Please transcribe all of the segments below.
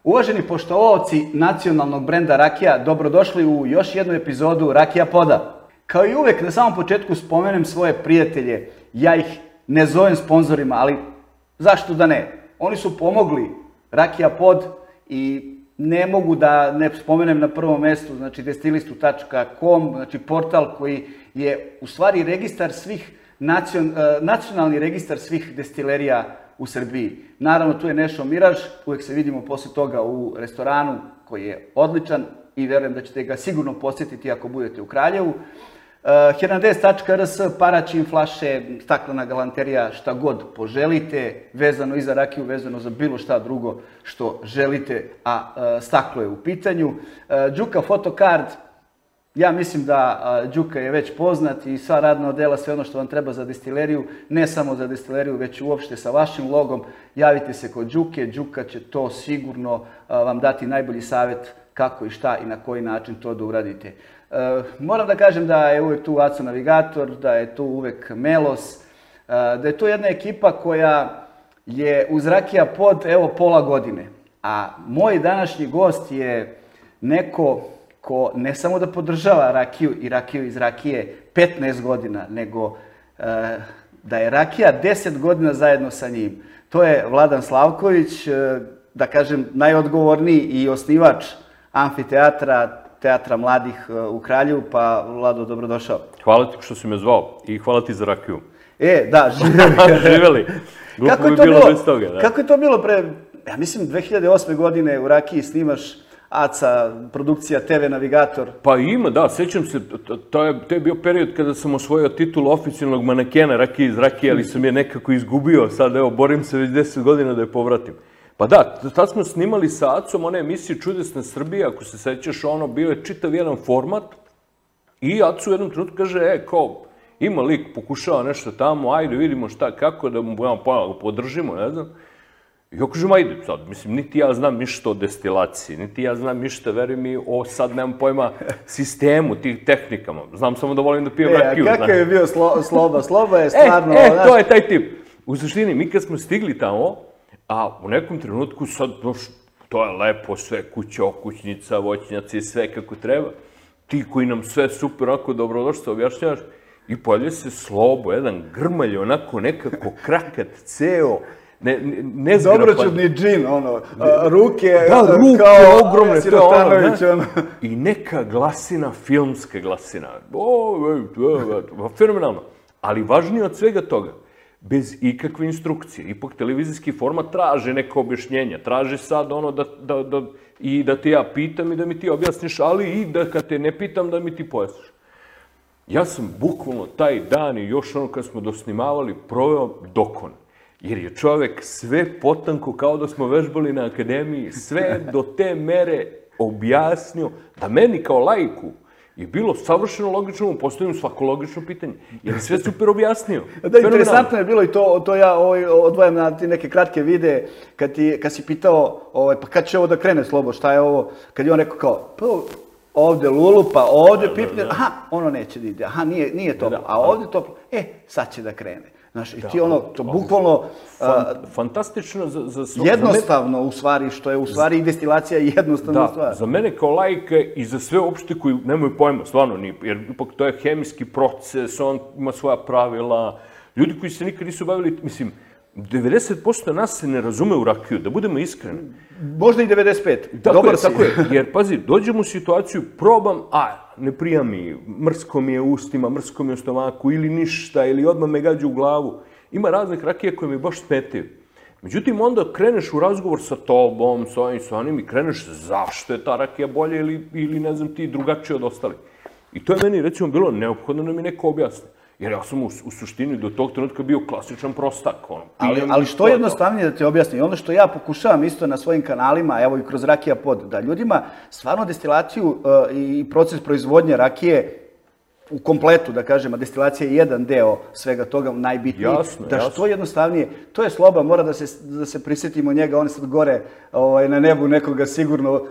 Uvaženi poštovaoci nacionalnog brenda rakija, dobrodošli u još jednu epizodu Rakija Poda. Kao i uvek, na samom početku spomenem svoje prijatelje. Ja ih ne zovem sponzorima, ali zašto da ne? Oni su pomogli Rakija Pod i ne mogu da ne spomenem na prvom mestu, znači destilistu.com, znači portal koji je u stvari registar svih, nacionalni registar svih destilerija u Srbiji. Naravno, tu je Nešo Miraž, uvek se vidimo posle toga u restoranu koji je odličan i verujem da ćete ga sigurno posjetiti ako budete u Kraljevu. Hernandez.rs, paračin, flaše, staklena galanterija, šta god poželite, vezano i za rakiju, vezano za bilo šta drugo što želite, a staklo je u pitanju. Đuka Fotokard, ja mislim da Đuka je već poznat i sva radna odela, sve ono što vam treba za destileriju, ne samo za destileriju, već uopšte sa vašim logom, javite se kod Đuke, Đuka će to sigurno vam dati najbolji savjet kako i šta i na koji način to da uradite. Moram da kažem da je uvek tu Aco Navigator, da je tu uvek Melos, da je to jedna ekipa koja je uz Rakija Pod, evo, pola godine. A moj današnji gost je neko ko ne samo da podržava rakiju i rakiju iz rakije 15 godina, nego da je rakija 10 godina zajedno sa njim. To je Vladan Slavković, da kažem najodgovorniji i osnivač amfiteatra, Teatra mladih u Kraljevu, pa Vlado, dobrodošao. Hvala ti što si me zvao i hvala ti za rakiju. Da, živeli. Kako je to bilo pre, ja mislim, 2008. godine u rakiji snimaš Aca, produkcija TV Navigator? Pa ima, da, sećam se, to je bio period kada sam osvojio titulu oficijalnog manekena rakije iz rakije, ali sam je nekako izgubio, sad evo, borim se već 10 godina da je povratim. Pa da, tad smo snimali sa Acom one emisije Čudesna Srbija, ako se sećaš, ono, bio je čitav jedan format i Acu u jednom trenutku kaže, kao, ima lik, pokušava nešto tamo, ajde vidimo šta, kako, da mu podržimo, ne znam. I ja kažem, ajde, sad, mislim, niti ja znam ništa o destilaciji, niti ja znam ništa, veruj mi, o, sad nemam pojma, sistemu, tih tehnikama. Znam samo da volim da pijem rakiju. Kakav je bio Sloba? Sloba je stvarno... To je taj tip. U suštini, mi kad smo stigli tamo, a u nekom trenutku sad, to je lepo, sve kuća, okućnica, voćnjaci, sve kako treba. Ti koji nam sve super, onako dobrodošli, objašnjavaš, i pojavlja se Slobo, jedan grmalj, onako nekako krakat, ceo, nezgrapan. Dobroćudni džin, ono, ruke kao ogromne, Sirotanović, ono. I neka glasina, filmska glasina. Fenomenalno. Ali važnije od svega toga, bez ikakve instrukcije. Ipak televizijski format traže neka objašnjenja, traže sad ono i da te ja pitam i da mi ti objasniš, ali i da kad te ne pitam da mi ti pojasniš. Ja sam bukvalno taj dan i još ono kad smo dosnimavali proveo dokon. Jer je čovek sve potanko kao da smo vežbali na akademiji, sve do te mere objasnio da meni kao laiku je bilo savršeno logično, mu postavim svako logično pitanje, jer je sve super objasnio. Da, interesantno je bilo i to ja odvojam na ti neke kratke videe, kad si pitao, pa kad će ovo da krene, Slobo, šta je ovo, kad je on rekao kao, pa ovde lulu, pa ovde pipne, aha, ono neće da ide, aha, nije toplo, a ovde toplo, sad će da krene. Znaš, i ti ono, to bukvalno... Fantastično za... Jednostavno, u stvari, što je u stvari i destilacija jednostavna stvar. Da, za mene kao laika i za sve uopšte koji nemaju pojma, stvarno nije, jer ipak to je hemijski proces, on ima svoja pravila, ljudi koji se nikad nisu bavili, mislim, 90% nas se ne razume u rakiju, da budemo iskreni. Možda i 95%. Dobar si. Tako je, jer pazi, dođem u situaciju, probam, ne prija mi, mrsko mi je u ustima, mrsko mi je u stomaku, ili ništa, ili odmah me gađa u glavu. Ima raznih rakija koje mi baš smetaju. Međutim, onda kreneš u razgovor sa tobom, sa ovim, sa onim i kreneš zašto je ta rakija bolja ili ne znam ti drugačije od ostalih. I to je meni, recimo, bilo neophodno da mi neko objasni. Jer ja sam u suštini do tog trenutka bio klasičan prostak. Ali što jednostavnije da te objasni, ono što ja pokušavam isto na svojim kanalima, evo i kroz Rakija Pod, da ljudima stvarno destilaciju i proces proizvodnje rakije u kompletu, da kažem, a destilacija je jedan deo svega toga, najbitniji. Da što jednostavnije, to je Sloba, mora da se prisjetimo njega, on je sad gore na nebu nekoga sigurno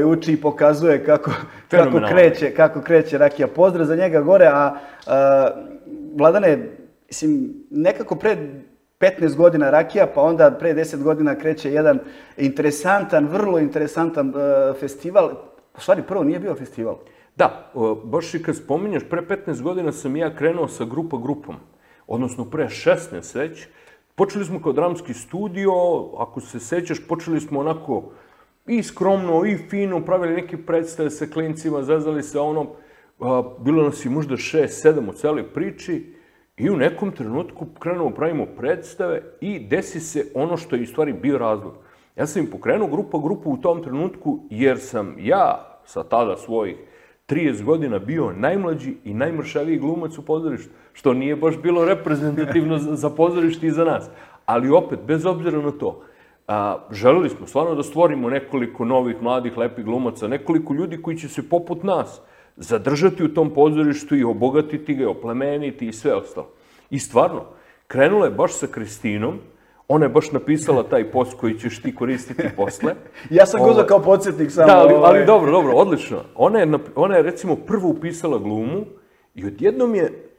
uči i pokazuje kako kreće rakija. Pozdrav za njega gore, a Vladane, mislim, nekako pre 15 godina rakija, pa onda pre 10 godina kreće jedan interesantan, vrlo interesantan festival. U stvari, prvo nije bio festival. Da, baš i kad spominješ, pre 15 godina sam ja krenuo sa grupom. Odnosno, pre 16 već. Počeli smo kao dramski studio, ako se sećaš, počeli smo onako i skromno, i fino, pravili neke predstave sa klincima, zazvali se ono, bilo nas i možda 6-7 u celoj priči i u nekom trenutku krenemo pravimo predstave i desi se ono što je u stvari bio razlog. Ja sam im pokrenuo grupu u tom trenutku jer sam ja sa tada svojih 30 godina bio najmlađi i najmršaviji glumac u pozorištu, što nije baš bilo reprezentativno za pozorište i za nas. Ali opet, bez obzira na to, želeli smo stvarno da stvorimo nekoliko novih, mladih, lepih glumaca, nekoliko ljudi koji će se poput nas zadržati u tom pozorištu i obogatiti ga, oplemeniti i sve ostalo. I stvarno, krenula je baš sa Kristinom, ona je baš napisala taj post koji ćeš ti koristiti posle. Ja sam guzao kao podsjetnik samo. Da, ali dobro, odlično. Ona je recimo prvo upisala glumu i odjednom je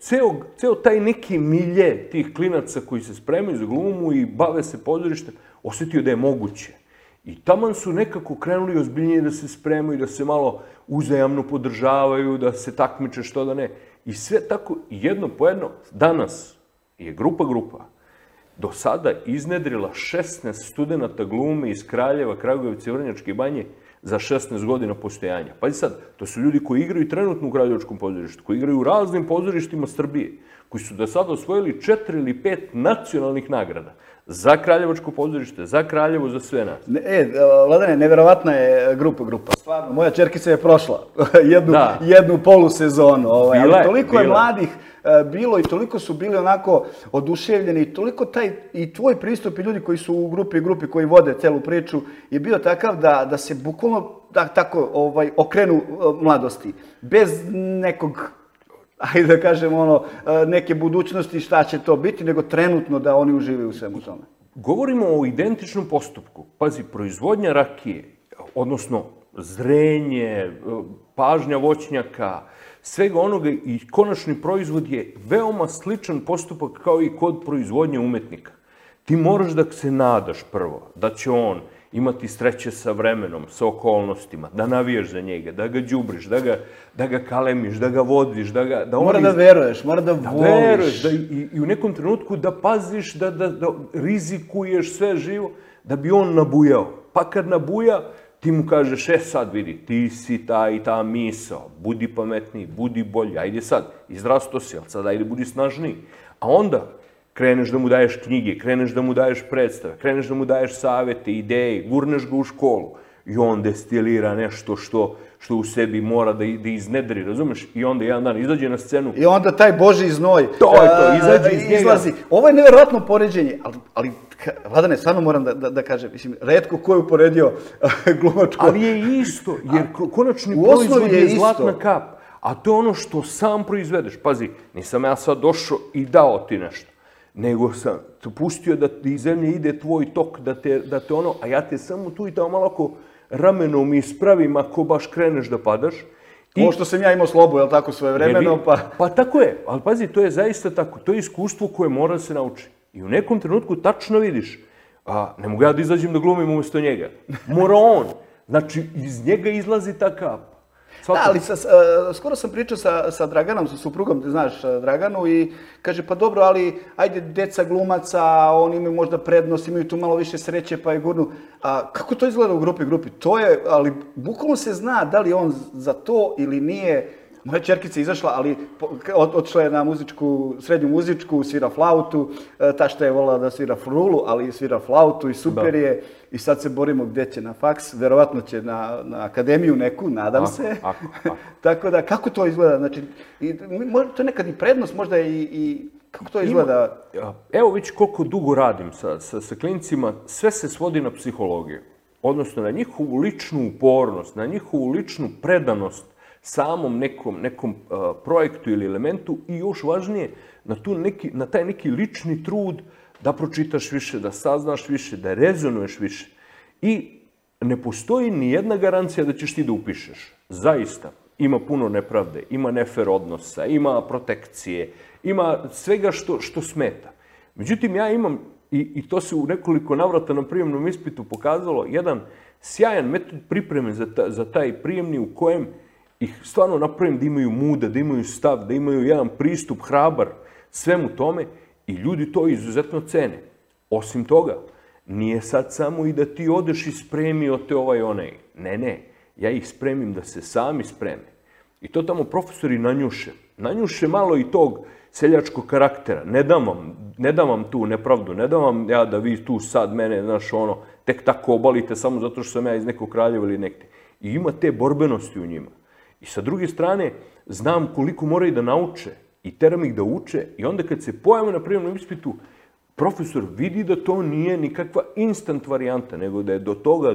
ceo taj neki milje tih klinaca koji se spremaju za glumu i bave se pozorištem, osjetio da je moguće. I taman su nekako krenuli ozbiljnije da se spremaju, da se malo uzajamno podržavaju, da se takmiče što da ne. I sve tako, jedno po jedno, danas je grupa do sada iznedrila 16 studenta glume iz Kraljeva, Kragujevca i Vrnjačke Banje za 16 godina postojanja. Pazi sad, to su ljudi koji igraju trenutno u Kraljevačkom pozorištu, koji igraju u raznim pozorištima Srbije, koji su do sada osvojili 4 ili 5 nacionalnih nagrada za Kraljevačko pozorište, za Kraljevo, za sve nas. Vladane, neverovatna je grupa. Stvarno, moja čerkica je prošla jednu polusezonu. Ali toliko je mladih bilo i toliko su bili onako oduševljeni i toliko i tvoj pristup i ljudi koji su u grupi koji vode celu priču je bio takav da se bukvalno tako okrenu mladosti. Bez nekog, ajde da kažem, neke budućnosti šta će to biti, nego trenutno da oni uživaju u svemu tome. Govorimo o identičnom postupku. Pazi, proizvodnja rakije, odnosno zrenje, pažnja voćnjaka, svega onoga i konačni proizvod je veoma sličan postupak kao i kod proizvodnje umetnika. Ti moraš da se nadaš prvo, da će on imati sreće sa vremenom, sa okolnostima, da navijaš za njega, da ga đubriš, da ga kalemiš, da ga vodiš, Mora da veruješ, mora da voliš. I u nekom trenutku da paziš, da rizikuješ sve živo, da bi on nabujao. Pa kad nabuja, ti mu kažeš, sad vidi, ti si ta i ta misao, budi pametniji, budi bolji, ajde sad, izrasto si, ali sad ajde budi snažniji. A onda kreneš da mu daješ knjige, kreneš da mu daješ predstave, kreneš da mu daješ savete, ideje, gurneš ga u školu i on destilira nešto što u sebi mora da iznedri, razumeš? I onda jedan dan izađe na scenu. I onda taj Božji znoj izađe iz njega. Izlazi. Ovo je neverovatno poređenje, ali Vladane, stvarno moram da kažem, mislim, retko ko je uporedio glumačko. Ali je isto, jer konačni proizvod je zlatna kap, a to je ono što sam proizvedeš. Pazi, nisam ja sad došao i dao ti nešto, nego sam te pustio da iz zemlje ide tvoj tok, da te ono, a ja te samo tu i tamo malo ako ramenom ispravim ako baš kreneš da padaš. Ovo što sam ja imao slobu, jel tako, svoje vremeno, pa... Pa tako je, ali pazi, to je zaista tako, to je iskustvo koje mora da se nauči. I u nekom trenutku tačno vidiš, ne mogu ja da izađem da glumim umjesto njega, mora on. Znači, iz njega izlazi ta kap. Da, ali skoro sam pričao sa Draganom, sa suprugom, ti znaš Draganu, i kaže, pa dobro, ali ajde, deca glumaca, oni imaju možda prednost, imaju tu malo više sreće, pa je gurnu. Kako to izgleda u grupi? To je, ali bukvalno se zna da li on za to ili nije. Moja čerkica je izašla, ali otišla je na srednju muzičku, svira flautu, ta što je volila da svira frulu, ali svira flautu i super je. I sad se borimo gde će na faks, verovatno će na akademiju neku, nadam se. Tako da, kako to izgleda? Znači, to je nekad i prednost, možda i kako to izgleda? Evo već koliko dugo radim sa klincima, sve se svodi na psihologiju. Odnosno na njihovu ličnu upornost, na njihovu ličnu predanost samom nekom projektu ili elementu i još važnije, na taj neki lični trud da pročitaš više, da saznaš više, da rezonuješ više. I ne postoji ni jedna garancija da ćeš ti da upišeš. Zaista. Ima puno nepravde, ima nefer odnosa, ima protekcije, ima svega što smeta. Međutim, ja imam i to se u nekoliko navrata na prijemnom ispitu pokazalo, jedan sjajan metod pripreme za taj prijemni u kojem ih stvarno napravim da imaju muda, da imaju stav, da imaju jedan pristup hrabar svemu tome i ljudi to izuzetno cene. Osim toga, nije sad samo i da ti odeš i spremio te ovaj onaj. Ne, ja ih spremim da se sami spreme. I to tamo profesori nanjuše. Nanjuše malo i tog seljačkog karaktera. Ne dam vam tu nepravdu, ne dam vam ja da vi tu sad mene, znaš, ono, tek tako obalite samo zato što sam ja iz nekog kraljeva ili nekde. I ima te borbenosti u njima. I sa druge strane, znam koliko moraju da nauče i teram ih da uče i onda kad se pojave na prijemnom ispitu, profesor vidi da to nije nikakva instant varijanta, nego da je do toga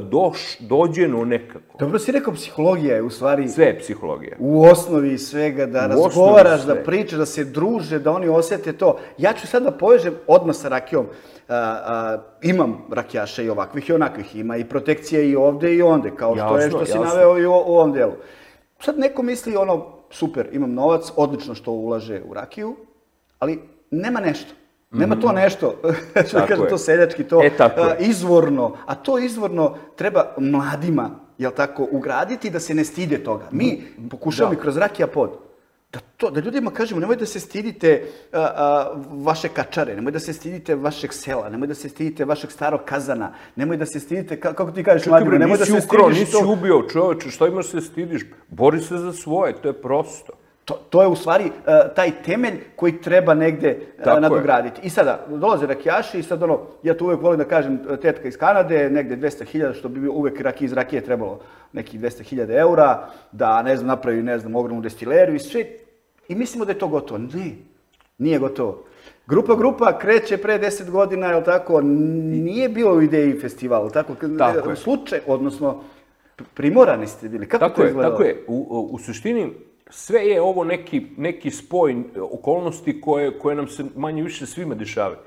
dođeno nekako. Dobro si rekao, psihologija je u stvari... Sve je psihologija. U osnovi svega, da razgovaraš, da pričaš, da se druže, da oni osjete to. Ja ću sad da povežem odmah sa rakijom. Imam rakijaša i ovakvih i onakvih. Ima i protekcije i ovde i onde, kao što si naveo i u ovom delu. Sad neko misli ono, super, imam novac, odlično što ulaže u rakiju, ali nema nešto. Nema to nešto, što da kažem, to seljački, to izvorno. A to izvorno treba mladima, jel tako, ugraditi da se ne stide toga. Mi pokušavamo i kroz Rakija pod da ljudima kažemo, nemoj da se stidite vaše kačare, nemoj da se stidite vašeg sela, nemoj da se stidite vašeg starog kazana, nemoj da se stidite, kako ti kažeš mladima, nemoj da se stidiš to. Nisi ubio, čoveče, što imaš se stidiš? Bori se za svoje, to je prosto. To je u stvari taj temelj koji treba negde nadograditi. I sada, dolaze rakijaši i sad ja to uvek volim da kažem, tetka iz Kanade, negde 200.000, što bi uvek iz rakije trebalo nekih 200.000 eura, da, ne znam, napravi, ne znam, ogromnu destileriju i sve. I mislimo da je to gotovo. Ne, nije gotovo. Grupa kreće pre 10 godina, je li tako, nije bilo u ideji festivala, tako? Tako je. Slučaj, odnosno, primorani ste bili. Kako to izgledalo? Tako je. U suštini, sve je ovo neki spoj okolnosti koje nam se manje više svima dešavaju.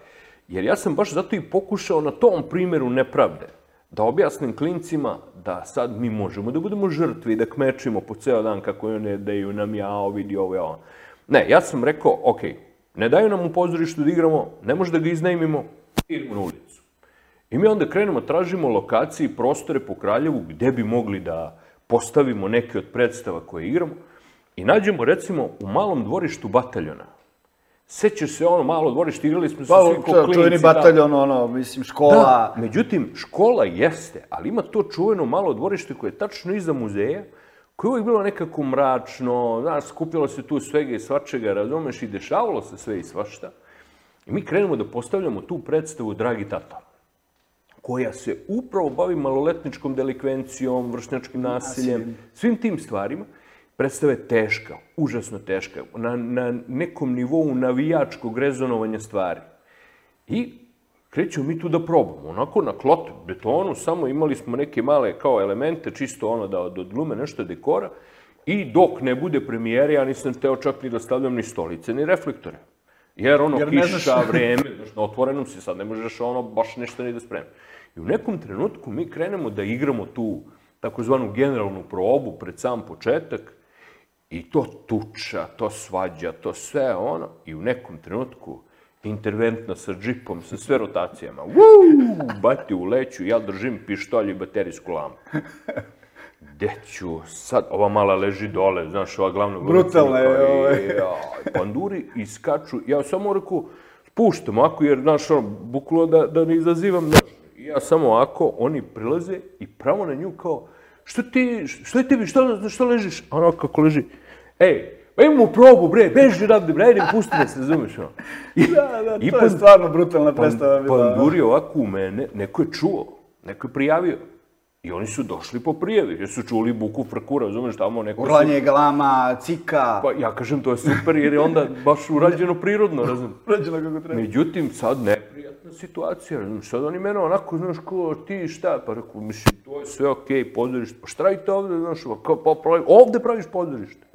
Jer ja sam baš zato i pokušao na tom primjeru nepravde da objasnim klincima da sad mi možemo da budemo žrtvi, da kmečimo po ceo dan kako ne daju nam jao, vidi ovo, jao. Ne, ja sam rekao, ok, ne daju nam u pozorištu da igramo, ne može da ga iznajmimo, idemo na ulicu. I mi onda krenemo, tražimo lokacije i prostore po Kraljevu gde bi mogli da postavimo neke od predstava koje igramo. I nađemo, recimo, u malom dvorištu Bataljona. Sećaš se ono malo dvorište, igrali smo se svi ko klinci. Čuveni Bataljon, mislim, škola. Da, međutim, škola jeste, ali ima to čuveno malo dvorište koje je tačno iza muzeja, koje je uvijek bilo nekako mračno, znaš, skupilo se tu svega i svačega, razumeš, i dešavalo se sve i svašta. I mi krenemo da postavljamo tu predstavu Dragi tata, koja se upravo bavi maloletničkom delikvencijom, vršnjačkim nasiljem, svim tim stvarima. Predstava je teška, užasno teška, na nekom nivou navijačkog rezonovanja stvari. I krećemo mi tu da probamo, onako na klot betonu, samo imali smo neke male kao elemente, čisto ono da odglume nešto dekora, i dok ne bude premijere, ja nisam teo čak ni da stavljam ni stolice, ni reflektore. Jer ono, kiša, vreme, na otvorenom si sad, ne možeš ono baš nešto ni da spremi. I u nekom trenutku mi krenemo da igramo tu takozvanu generalnu probu pred sam početak, i to tuča, to svađa, to sve ono, i u nekom trenutku interventna sa džipom, sa sve rotacijama, bati u leću, ja držim pištolj i baterijsku lampu. Gde ću sad, ova mala leži dole, znaš, ova glavna glumica. Brutalna je ovo. Panduri iskaču, ja samo rekao, spuštam ovako, jer, znaš, ono, bukvalno da ne izazivam, znaš. I ja samo ovako, oni prilaze i pravo na nju kao, što je tebi, što ležiš? A ono kako leži, ej, pa imamo probu, bre, beži radne, bre, ajde, pusti me se, razumeš, ono. Da, to je stvarno brutalna predstava bila. Panduri ovako u mene, neko je čuo, neko je prijavio. I oni su došli po prijavi, jer su čuli buku frkura, razumeš, tamo neko... Urlanje, galama, cika... Pa ja kažem, to je super, jer je onda baš urađeno prirodno, razumeš. Urađeno kako treba. Međutim, sad neprijatna situacija, razumeš, sad oni mene onako, znaš, ko ti šta, pa rekao, mislim, to je sve okej, pozorište, pa šta radite ovde, znaš, pa ovde praviš pozorište.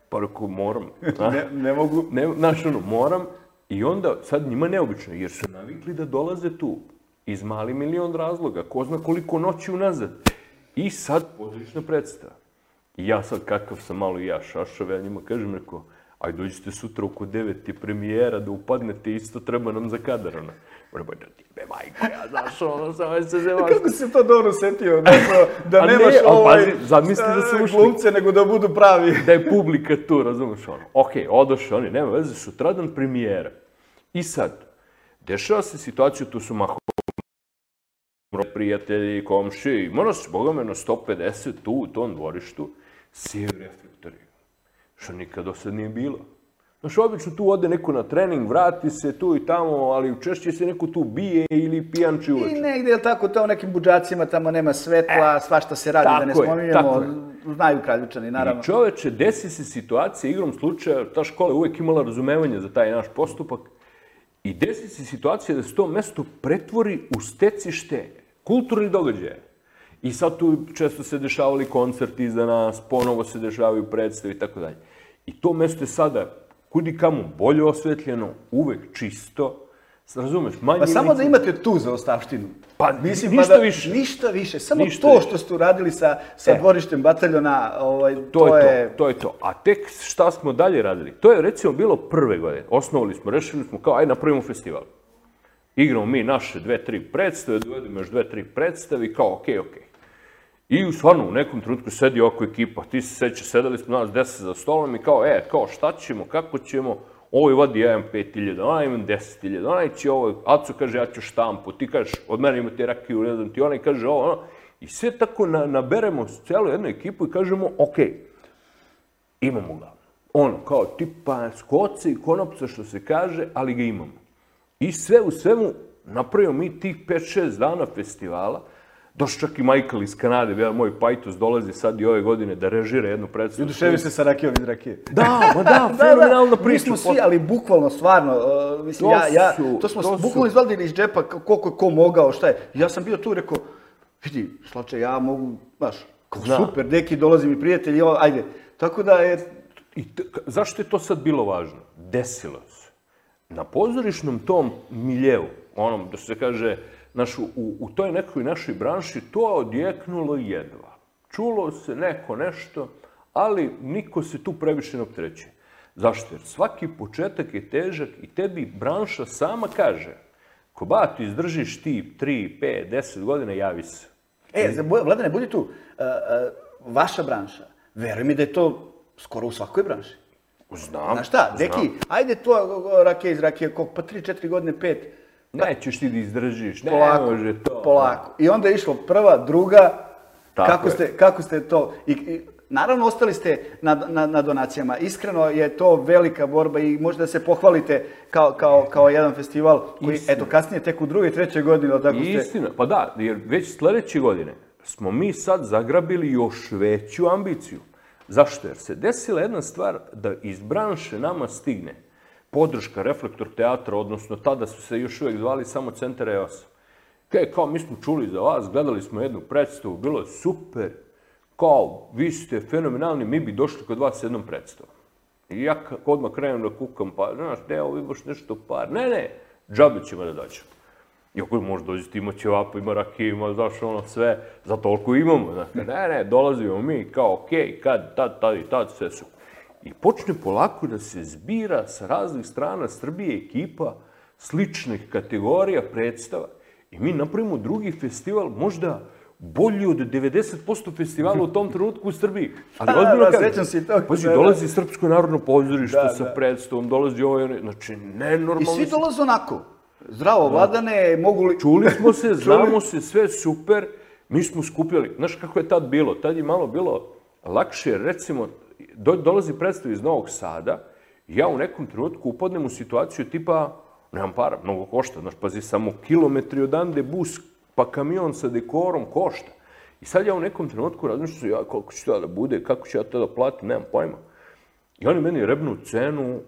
Pa rekao, moram. Ne mogu. Znaš, ono, moram, i onda, sad njima neobično, jer su navikli da dolaze tu. Iz mali milion razloga, ko zna koliko noći unazad. I sad pozorišna predstava. I ja sad, kakav sam malo i ja šašav, ja njima kažem, rekao, aj dođite sutra oko 9 je premijera da upadnete, isto treba nam za kadar, ono. Vrba, da ti be majko, ja znaš, ono, samo se zemaš. Kako si to dobro setio, da nemaš zamisli da su ušli glumce, nego da budu pravi. Da je publika tu, razumeš, ono. Okej, odošli oni, nema veze, sutradan premijera. I sad, dešava se situaciju, tu su mahom prijatelji, komši, mora se, boga me, na 150 tu, u tom dvorištu, svi reflektori, što nikad do sad nije bilo. Znaš, obično tu ode neko na trening, vrati se tu i tamo, ali češće se neko tu bije ili pijanči uveče. I negdje je tako, to u nekim budžacima tamo nema svetla, svašta se radi, da ne spominjemo, znaju Kraljičani, naravno. I čoveče, desi se situacija, igrom slučaja, ta škola je uvijek imala razumevanje za taj naš postupak, i desi se situacija da se to mesto pretvori u stecište kulturnih događaja. I sad tu često se dešavali koncerti iza nas, ponovo se dešavaju predstave i tako dalje. I to mesto je sada kudi kamo bolje osvetljeno, uvek čisto, razumeš, manje... Pa samo da imate tu zaostavštinu. Pa ništa više. Ništa više, samo to što ste uradili sa dvorištem bataljona, to je... To je to. A tek šta smo dalje radili? To je recimo bilo prve godine. Osnovali smo, rešili smo kao, aj napravimo festival. Igramo mi naše 2-3 predstave, dovedemo još 2-3 predstave i kao okej. I stvarno u nekom trenutku sedi oko ekipa, ti se sećaš, sedeli smo nas 10 za stolom i kao šta ćemo, kako ćemo, ovo vadi, ja imam 5.000, ona imam 10.000, onaj će ovo, Aco kaže ja ću štampu, ti kažeš od mene imate rakiju, ne znam ti, onaj kaže ovo, ono. I sve tako naberemo celu jednu ekipu i kažemo okej, imamo ga. Ono, kao tipa skoce i konopca što se kaže, ali ga imamo. I sve u svemu napravimo mi tih 5-6 dana festivala. Došao čak i Michael iz Kanade, moj pajtos dolazi sad i ove godine da režira jednu predstavu. I oduševi se sa rakijom iz rakije. Da, fenomenalna priča. Mi smo svi, ali bukvalno, stvarno, mislim, to smo bukvalno izvadili iz džepa koliko je ko mogao, šta je. Ja sam bio tu i rekao, vidi, Slače, ja mogu, znaš, super, neki dolazi mi prijatelji, ajde. Tako da je... Zašto je to sad bilo važno? Desilo se. Na pozorišnom tom miljeu, onom, da se kaže, u toj nekoj našoj branši to odjeknulo jedva. Čulo se neko nešto, ali niko se tu previše ne opterećuje. Zašto? Jer svaki početak je težak i tebi branša sama kaže, ko ti izdržiš ti 3, 5, 10 godina, javi se. Vladane, budi tu. Vaša branša, veruj mi da je to skoro u svakoj branši. Znam. Znaš šta, deki, ajde to rakije iz rakije, pa 3-4 godine, 5. Nećeš ti da izdržiš, ne može to. Polako. I onda je išlo prva, druga, kako ste to... Naravno, ostali ste na donacijama. Iskreno je to velika borba i možda se pohvalite kao jedan festival koji, eto, kasnije tek u 2. i 3. godini, ali tako ste... Istina, pa da, jer već sljedeće godine smo mi sad zagrabili još veću ambiciju. Zašto? Jer se desila jedna stvar da iz branše nama stigne podrška Reflektor teatra, odnosno tada su se još uvijek zvali samo Centar EOS. Kao mi smo čuli za vas, gledali smo jednu predstavu, bilo je super, kao vi ste fenomenalni, mi bi došli kod vas s jednom predstavom. I ja odmah krenem da kukam, pa znaš, vi baš nešto par, ne, džabe ćemo da dođemo. I ako možda dođete, ima ćevapa, ima rakije, ima, znaš, ono sve, za toliko imamo, znaš, ne, dolazimo mi, kao okej, kad, tad, sve super. I počne polako da se zbira sa raznih strana Srbije ekipa sličnih kategorija predstava i mi napravimo drugi festival, možda bolji od 90% festivala u tom trenutku u Srbiji. Ali ozbiljno kažem, pazi, dolazi Srpsko narodno pozorište sa predstavom, dolazi ovo, znači nenormalno. I svi dolaze onako, zdravo, Vladane, mogu li... Čuli smo se, znamo se, sve super, mi smo skupljali. Znaš kako je tad bilo? Tad je malo bilo lakše, recimo, dolazi predstav iz Novog Sada i ja u nekom trenutku upadnem u situaciju tipa, nemam para, mnogo košta, znaš, pazi, samo kilometri odande bus pa kamion sa dekorom košta. I sad ja u nekom trenutku razmišljam, ja koliko će to da bude, kako ću ja to da platim, nemam pojma. I oni meni rebnu cenu,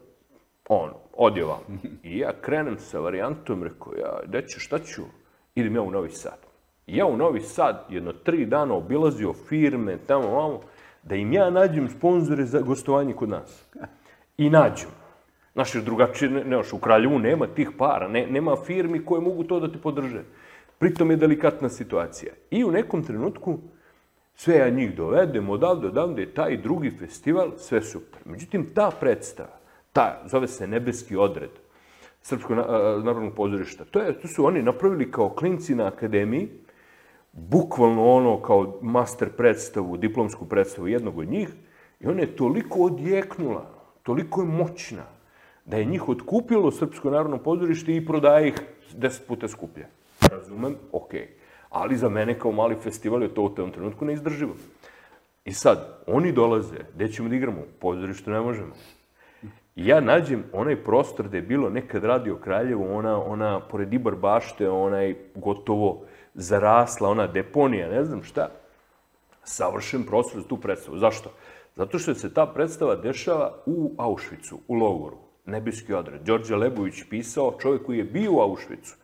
odjevam. I ja krenem sa varijantom, rekao, deće, šta ću? Idem ja u Novi Sad. I ja u Novi Sad jedno 3 dana obilazio firme, tamo, da im ja nađem sponzore za gostovanje kod nas. I nađem. Znaš, jer drugačije, u Kraljevu nema tih para, nema firmi koje mogu to da te podrže. Pritom je delikatna situacija. I u nekom trenutku sve ja njih dovedem odavde, taj drugi festival, sve super. Međutim, ta predstava zove se Nebeski odred Srpskog narodnog pozorišta. To su oni napravili kao klinci na akademiji, bukvalno ono kao master predstavu, diplomsku predstavu jednog od njih, i ona je toliko odjeknula, toliko je moćna, da je njih otkupilo Srpsko narodno pozorište i prodaje ih 10 puta skuplje. Razumem? Okej. Ali za mene kao mali festival je to u tom trenutku neizdrživo. I sad, oni dolaze, gde ćemo da igramo? U pozorištu ne možemo. I ja nađem onaj prostor gde je bilo nekad Radio Kraljevo, ona pored Ibar bašte, onaj gotovo zarasla, ona deponija, ne znam šta. Savršen prostor za tu predstavu. Zašto? Zato što se ta predstava dešava u Auschwitzu, u logoru. Nebeski odred. Đorđe Lebović pisao, čovjek koji je bio u Auschwitzu.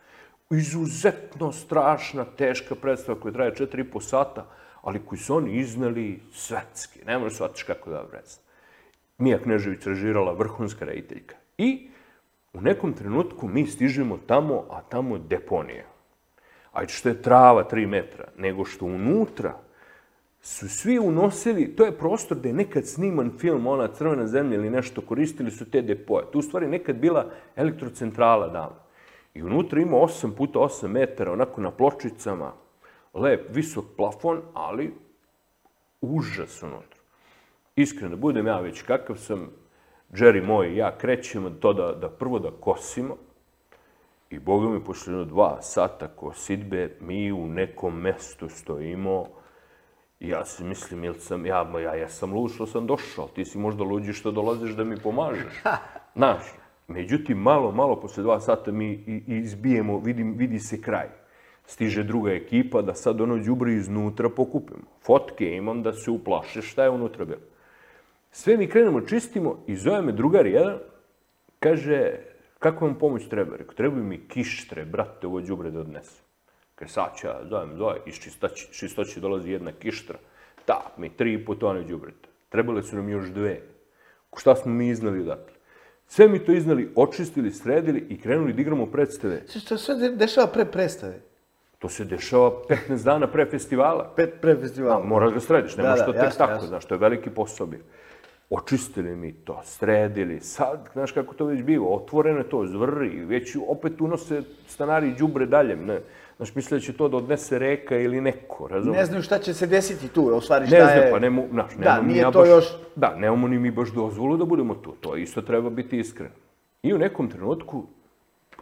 Izuzetno strašna, teška predstava koja traje 4,5 sata, ali koji su oni iznali svetski. Ne možeš shvatiš kako da predstava. Mija Knežević režirala, vrhunska rediteljka. I u nekom trenutku mi stižemo tamo, a tamo je deponija. Ajde što je trava 3 metra, nego što unutra su svi unosili, to je prostor gde je nekad sniman film, ona Crvena zemlja ili nešto, koristili su te depoje. Tu u stvari nekad bila elektrocentrala davno. I unutra ima 8 puta 8 metara, onako na pločicama, lep, visok plafon, ali užas unutra. Iskreno, da budem ja već kakav sam, Jerry moj i ja krećemo to da prvo da kosimo, i Boga mi posle 2 sata kosidbe, mi u nekom mestu stojimo, i ja se mislim, ja sam lud što sam došao, ti si možda luđi što dolaziš da mi pomažeš. Znaš, međutim, malo posle 2 sata mi izbijemo, vidi se kraj. Stiže druga ekipa da sad ono đubre iznutra pokupimo. Fotke imam da se uplaše šta je unutra bilo. Sve mi krenemo, čistimo i zove me drugar jedan, kaže, kako vam pomoć treba? Rekao, trebaju mi kištre, brate, ovo đubre da odnesem. Kaže, sad ću ja zove, iz čistoće dolazi jedna kištra, tak mi 3,5 tone đubreta. Trebale su nam još 2. Šta smo mi iznali odatle? Sve mi to iznali, očistili, sredili i krenuli da igramo predstave. Što se sve dešava pre predstave? To se dešava 15 dana pre festivala. Pre festivala. Moraš ga središ, ne možeš to tek tako, znaš, to je veliki posao bio. Očistili mi to, sredili, sad, znaš kako to već biva, otvoreno je to, zvrri, već opet unose stanari đubre dalje, znaš, misle da će to da odnese reka ili neko, razumiješ? Ne znaju šta će se desiti tu, u stvari šta je... Ne znam, pa nemamo, znaš, nemamo nije to još... Da, nemamo ni mi baš dozvolu da budemo tu, to isto treba biti iskreno. I u nekom trenutku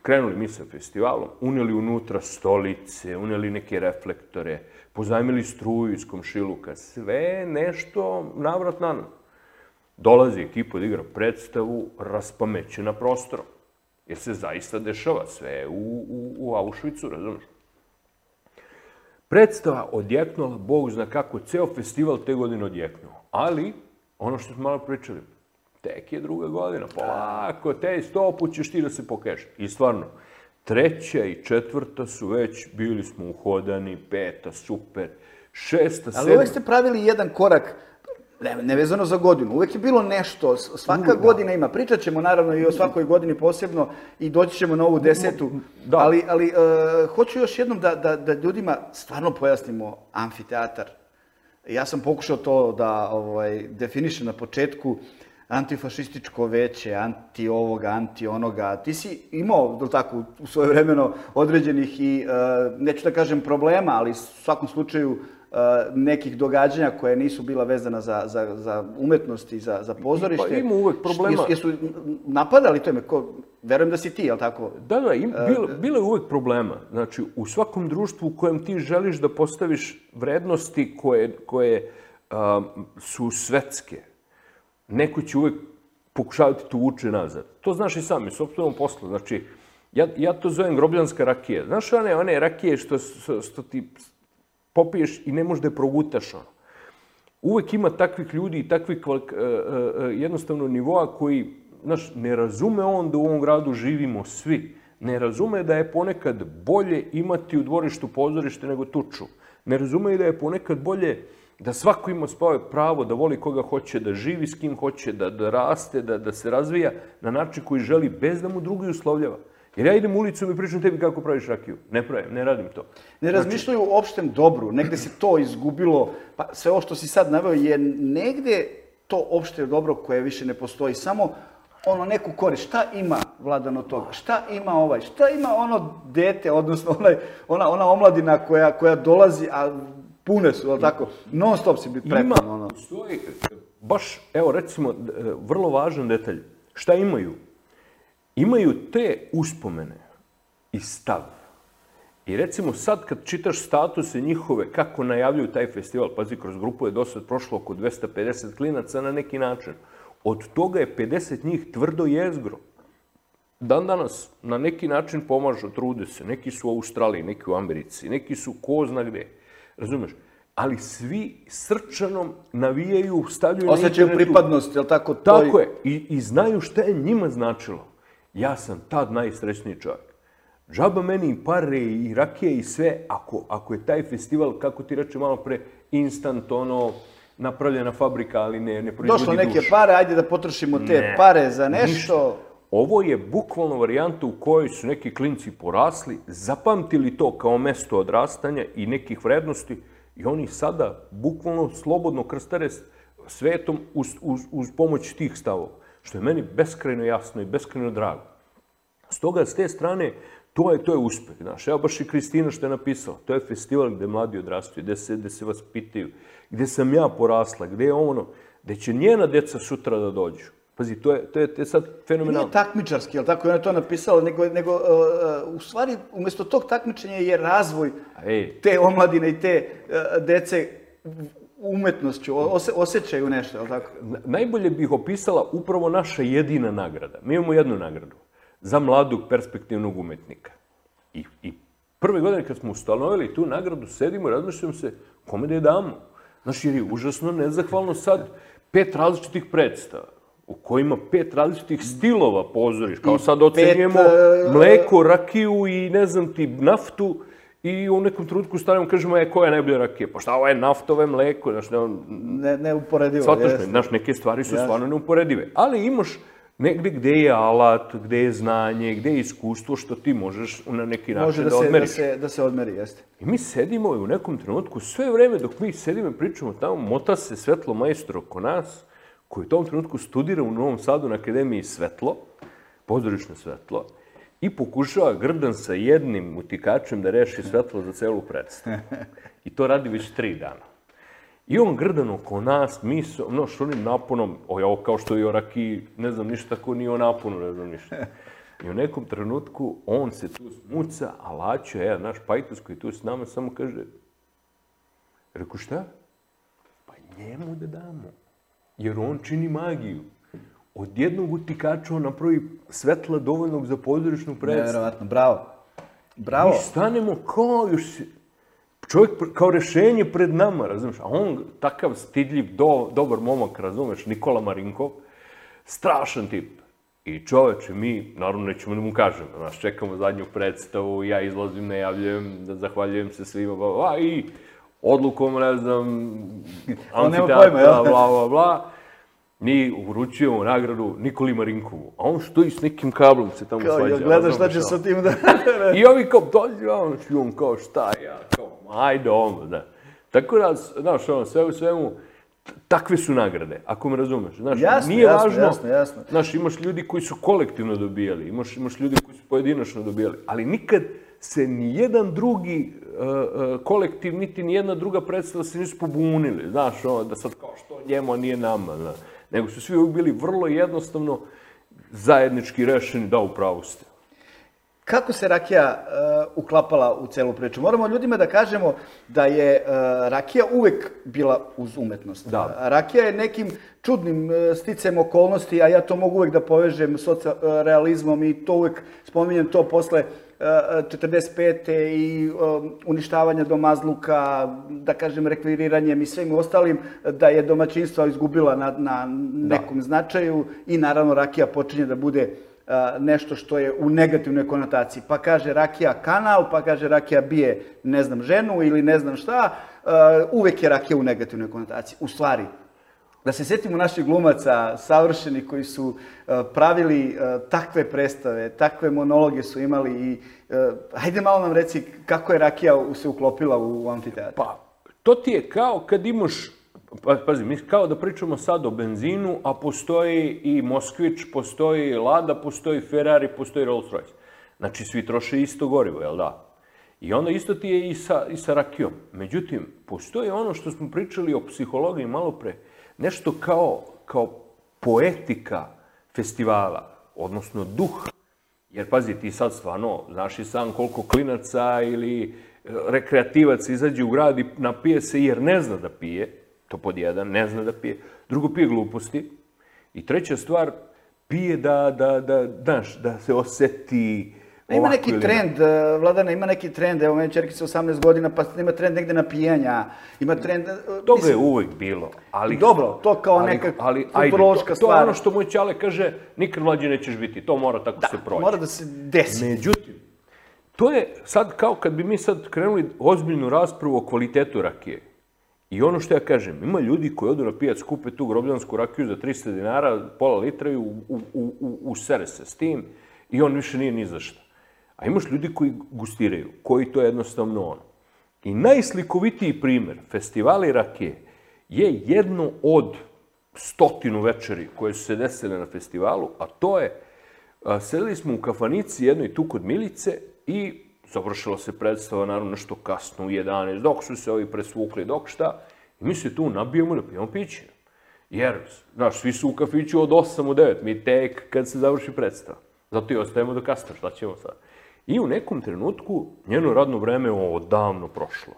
krenuli mi sa festivalom, uneli unutra stolice, uneli neke reflektore, pozajmili struju iz komšiluka, sve nešto navrat na nos. Dolazi ekipa da igra predstavu raspamećena prostorom. Jer se zaista dešava sve u Auschwitzu, razumiješ? Predstava odjeknula, Bog zna kako, ceo festival te godine odjeknuo. Ali, ono što smo malo pričali, tek je 2. godina, polako, 100 put ćeš ti da se pokažeš. I stvarno, 3. i 4. su već, bili smo uhodani, 5. super, 6. 7. Ali uvek ste pravili jedan korak, nevezano za godinu. Uvek je bilo nešto, svaka godina ima. Pričat ćemo naravno i o svakoj godini posebno i doći ćemo na ovu 10. Ali hoću još jednom da ljudima stvarno pojasnimo amfiteatar. Ja sam pokušao to da definišem na početku. Antifašističko veće, anti ovoga, anti onoga. Ti si imao, tako, u svoje vremeno određenih i, neću da kažem problema, ali u svakom slučaju nekih događanja koje nisu bila vezana za umetnost i za pozorište. Pa ima uvek problema. Jesu napadali to ime? Verujem da si ti, jel tako? Da, bilo je uvek problema. Znači, u svakom društvu u kojem ti želiš da postaviš vrednosti koje su svetske, neko će uvek pokušavati tu vuče nazad. To znaš i sam, iz sopstvenom poslu. Znači, ja to zovem grobljanska rakija. Znaš one rakije što ti popiješ i ne možeš da je progutaš ono. Uvek ima takvih ljudi i takvih jednostavno nivoa koji, znaš, ne razume on da u ovom gradu živimo svi. Ne razume da je ponekad bolje imati u dvorištu pozorište nego tuču. Ne razume i da je ponekad bolje da svako ima svoje pravo da voli koga hoće, da živi s kim hoće, da raste, da se razvija na način koji želi bez da mu drugi uslovljava. Jer ja idem ulicom i pričam tebi kako praviš rakiju. Ne radim to. Ne razmišljaju o opštem dobru. Negde se to izgubilo. Pa sve ovo što si sad naveo je negde to opšte dobro koje više ne postoji. Samo ono neku korist. Šta ima Vladan od toga? Šta ima ovaj? Šta ima ono dete, odnosno ona omladina koja dolazi, a pune su, ali tako, non stop si biti prepun. Ima, baš, evo recimo, vrlo važan detalj. Šta imaju? Imaju te uspomene i stav. I recimo sad kad čitaš statuse njihove, kako najavljuju taj festival, pazi, kroz grupu je do sad prošlo oko 250 klinaca na neki način. Od toga je 50 njih tvrdo jezgro. Dan danas na neki način pomažu, trude se. Neki su u Australiji, neki u Americi, neki su ko zna gde. Razumeš? Ali svi srčanom navijaju, stavljaju na internetu. Osjećaju pripadnost, je li tako? Tako je. I znaju šta je njima značilo. Ja sam tad najsrećniji čovjek. Džaba meni i pare i rakije i sve, ako je taj festival, kako ti reče malo pre, instant, napravljena fabrika, ali ne proizvodi dušu. Došlo neke pare, ajde da potrošimo te pare za nešto. Ovo je bukvalno varijanta u kojoj su neki klinci porasli, zapamtili to kao mesto odrastanja i nekih vrednosti i oni sada bukvalno slobodno krstare svetom uz pomoć tih stavova, što je meni beskrajno jasno i beskrajno drago. Stoga, s te strane, to je uspeh. Znaš, evo baš i Kristina što je napisala. To je festival gde mladi odrastaju, gde se vaspitaju, gde sam ja porasla, gde je gde će njena deca sutra da dođu. Pazi, to je sad fenomenalno. Nije takmičarski, ali tako je ona to napisala, nego u stvari, umjesto tog takmičenja je razvoj te omladine i te dece umetnošću, osjećaju nešto, ali tako? Najbolje bih opisala upravo naša jedina nagrada. Mi imamo jednu nagradu za mladog perspektivnog umetnika. I prve godine kad smo ustanovili tu nagradu, sedimo i razmišljamo se kome da je damo. Znaš, jer je užasno nezahvalno sad 5 različitih predstava, u kojima 5 različitih stilova pozoriš, kao sad ocenjujemo mleko, rakiju i ne znam ti, naftu, i u nekom trenutku stavimo, kažemo, koja je najbolja rakija? Pa šta, ovo je naftove mleko, znaš, neuporedivo. Znaš, neke stvari su stvarno neuporedive. Ali imaš negde gde je alat, gde je znanje, gde je iskustvo, što ti možeš na neki način da odmeriš. Može da se odmeri, jeste. I mi sedimo u nekom trenutku, sve vreme dok mi sedimo i pričamo tamo, mota se svetlo majstor oko nas, koji u tom trenutku studira u Novom Sadu na Akademiji Svetlo, pozorišno svetlo, i pokušava grdan sa jednim utikačem da reši svetlo za celu predstavu. I to radi već 3 dana. I on grdan oko nas, mi su, s onim naponom, ovo kao što je o rakiji, ne znam ništa, tako ni o naponu, ne znam ništa. I u nekom trenutku on se tu smuca, a Laćo, naš pajtos koji je tu s nama, samo kaže, reku šta? Pa njemu da damo. Jer on čini magiju. Od jednog utikača on napravi svetla dovoljnog za pozorišnu predstavu. Nevjerovatno, bravo. Bravo. Mi stanemo kao još čovjek kao rešenje pred nama, razumiješ? A on takav stidljiv, dobar momak, razumiješ, Nikola Marinkov, strašan tip. I čoveče, mi, naravno, nećemo da mu kažemo. Znaš, čekamo zadnju predstavu, ja izlazim, najavljujem, zahvaljujem se svima, i odlukom, ne znam, amfiteatra, bla, bla. Mi uručujemo nagradu Nikoli Marinkovu, a on stoji s nekim kablom se tamo svađa. Kao, gledaš šta će sa tim da... I ovi kao, dođe, on kao, šta ja, kao, ajde da. Tako da, znaš, sve u svemu, takve su nagrade, ako me razumeš. Jasno. Znaš, imaš ljudi koji su kolektivno dobijali, imaš ljudi koji su pojedinačno dobijali, ali nikad se nijedan drugi kolektiv, niti nijedna druga predstava se nisu pobunili, znaš, da sad kao što njemu, a nije nama, znaš. Nego su svi uvijek bili vrlo jednostavno zajednički rešeni, da, upravo ste. Kako se rakija uklapala u celu priču? Moramo ljudima da kažemo da je rakija uvek bila uz umetnost. Rakija je nekim čudnim sticajem okolnosti, a ja to mogu uvek da povežem socrealizmom i to uvek spominjem to posle 45. i uništavanja domazluka, da kažem rekviriranjem i svim ostalim, da je domaćinstva izgubila na nekom značaju i naravno rakija počinje da bude nešto što je u negativnoj konotaciji. Pa kaže rakija kanal, pa kaže rakija bije ne znam ženu ili ne znam šta, uvek je rakija u negativnoj konotaciji. U stvari, da se sjetimo naših glumaca, savršenih koji su pravili takve predstave, takve monologe su imali i hajde malo nam reci kako je rakija se uklopila u amfiteatru. Pa, to ti je kao kad imaš pazi, mi kao da pričamo sad o benzinu, a postoji i Moskvić, postoji Lada, postoji Ferrari, postoji Rolls Royce. Znači, svi troše isto gorivo, jel da? I onda isto ti je i sa rakijom. Međutim, postoji ono što smo pričali o psihologiji malo pre, nešto kao poetika festivala, odnosno duh. Jer, pazi, ti sad stvarno, znaš i sam koliko klinaca ili rekreativac izađe u grad i napije se jer ne zna da pije, to pod jedan, ne zna da pije. Drugo, pije gluposti. I treća stvar, pije da se oseti. Ima neki trend, Vladane, ima neki trend, evo meni čerki sa 18 godina, pa ima trend negde napijanja, ima trend... Toga je uvek bilo, ali... Dobro, to kao neka kulturološka stvar. To je ono što moj ćale kaže, nikad mlađi nećeš biti, to mora tako se proći. Da, mora da se desi. Međutim, to je sad kao kad bi mi sad krenuli ozbiljnu raspravu o kvalitetu rakije. I ono što ja kažem, ima ljudi koji odu na pijac, kupe tu grobljansku rakiju za 300 dinara, pola litra i usere se s tim i on više nije ni za šta. A imaš ljudi koji gustiraju, koji to je jednostavno ono. I najslikovitiji primer festivali rakije je jedno od 100 večeri koje su se desile na festivalu, a to je, sedeli smo u kafanici jednoj tu kod Milice i završila se predstava, naravno, nešto kasno u 11, dok su se ovi presvukli, dok šta, i mi se tu nabijemo da pijemo piće. Jer, znaš, svi su u kafiću od 8 u 9, mi tek kad se završi predstava. Zato i ostajemo do kasno, šta ćemo sad? I u nekom trenutku njeno radno vreme je odavno prošlo.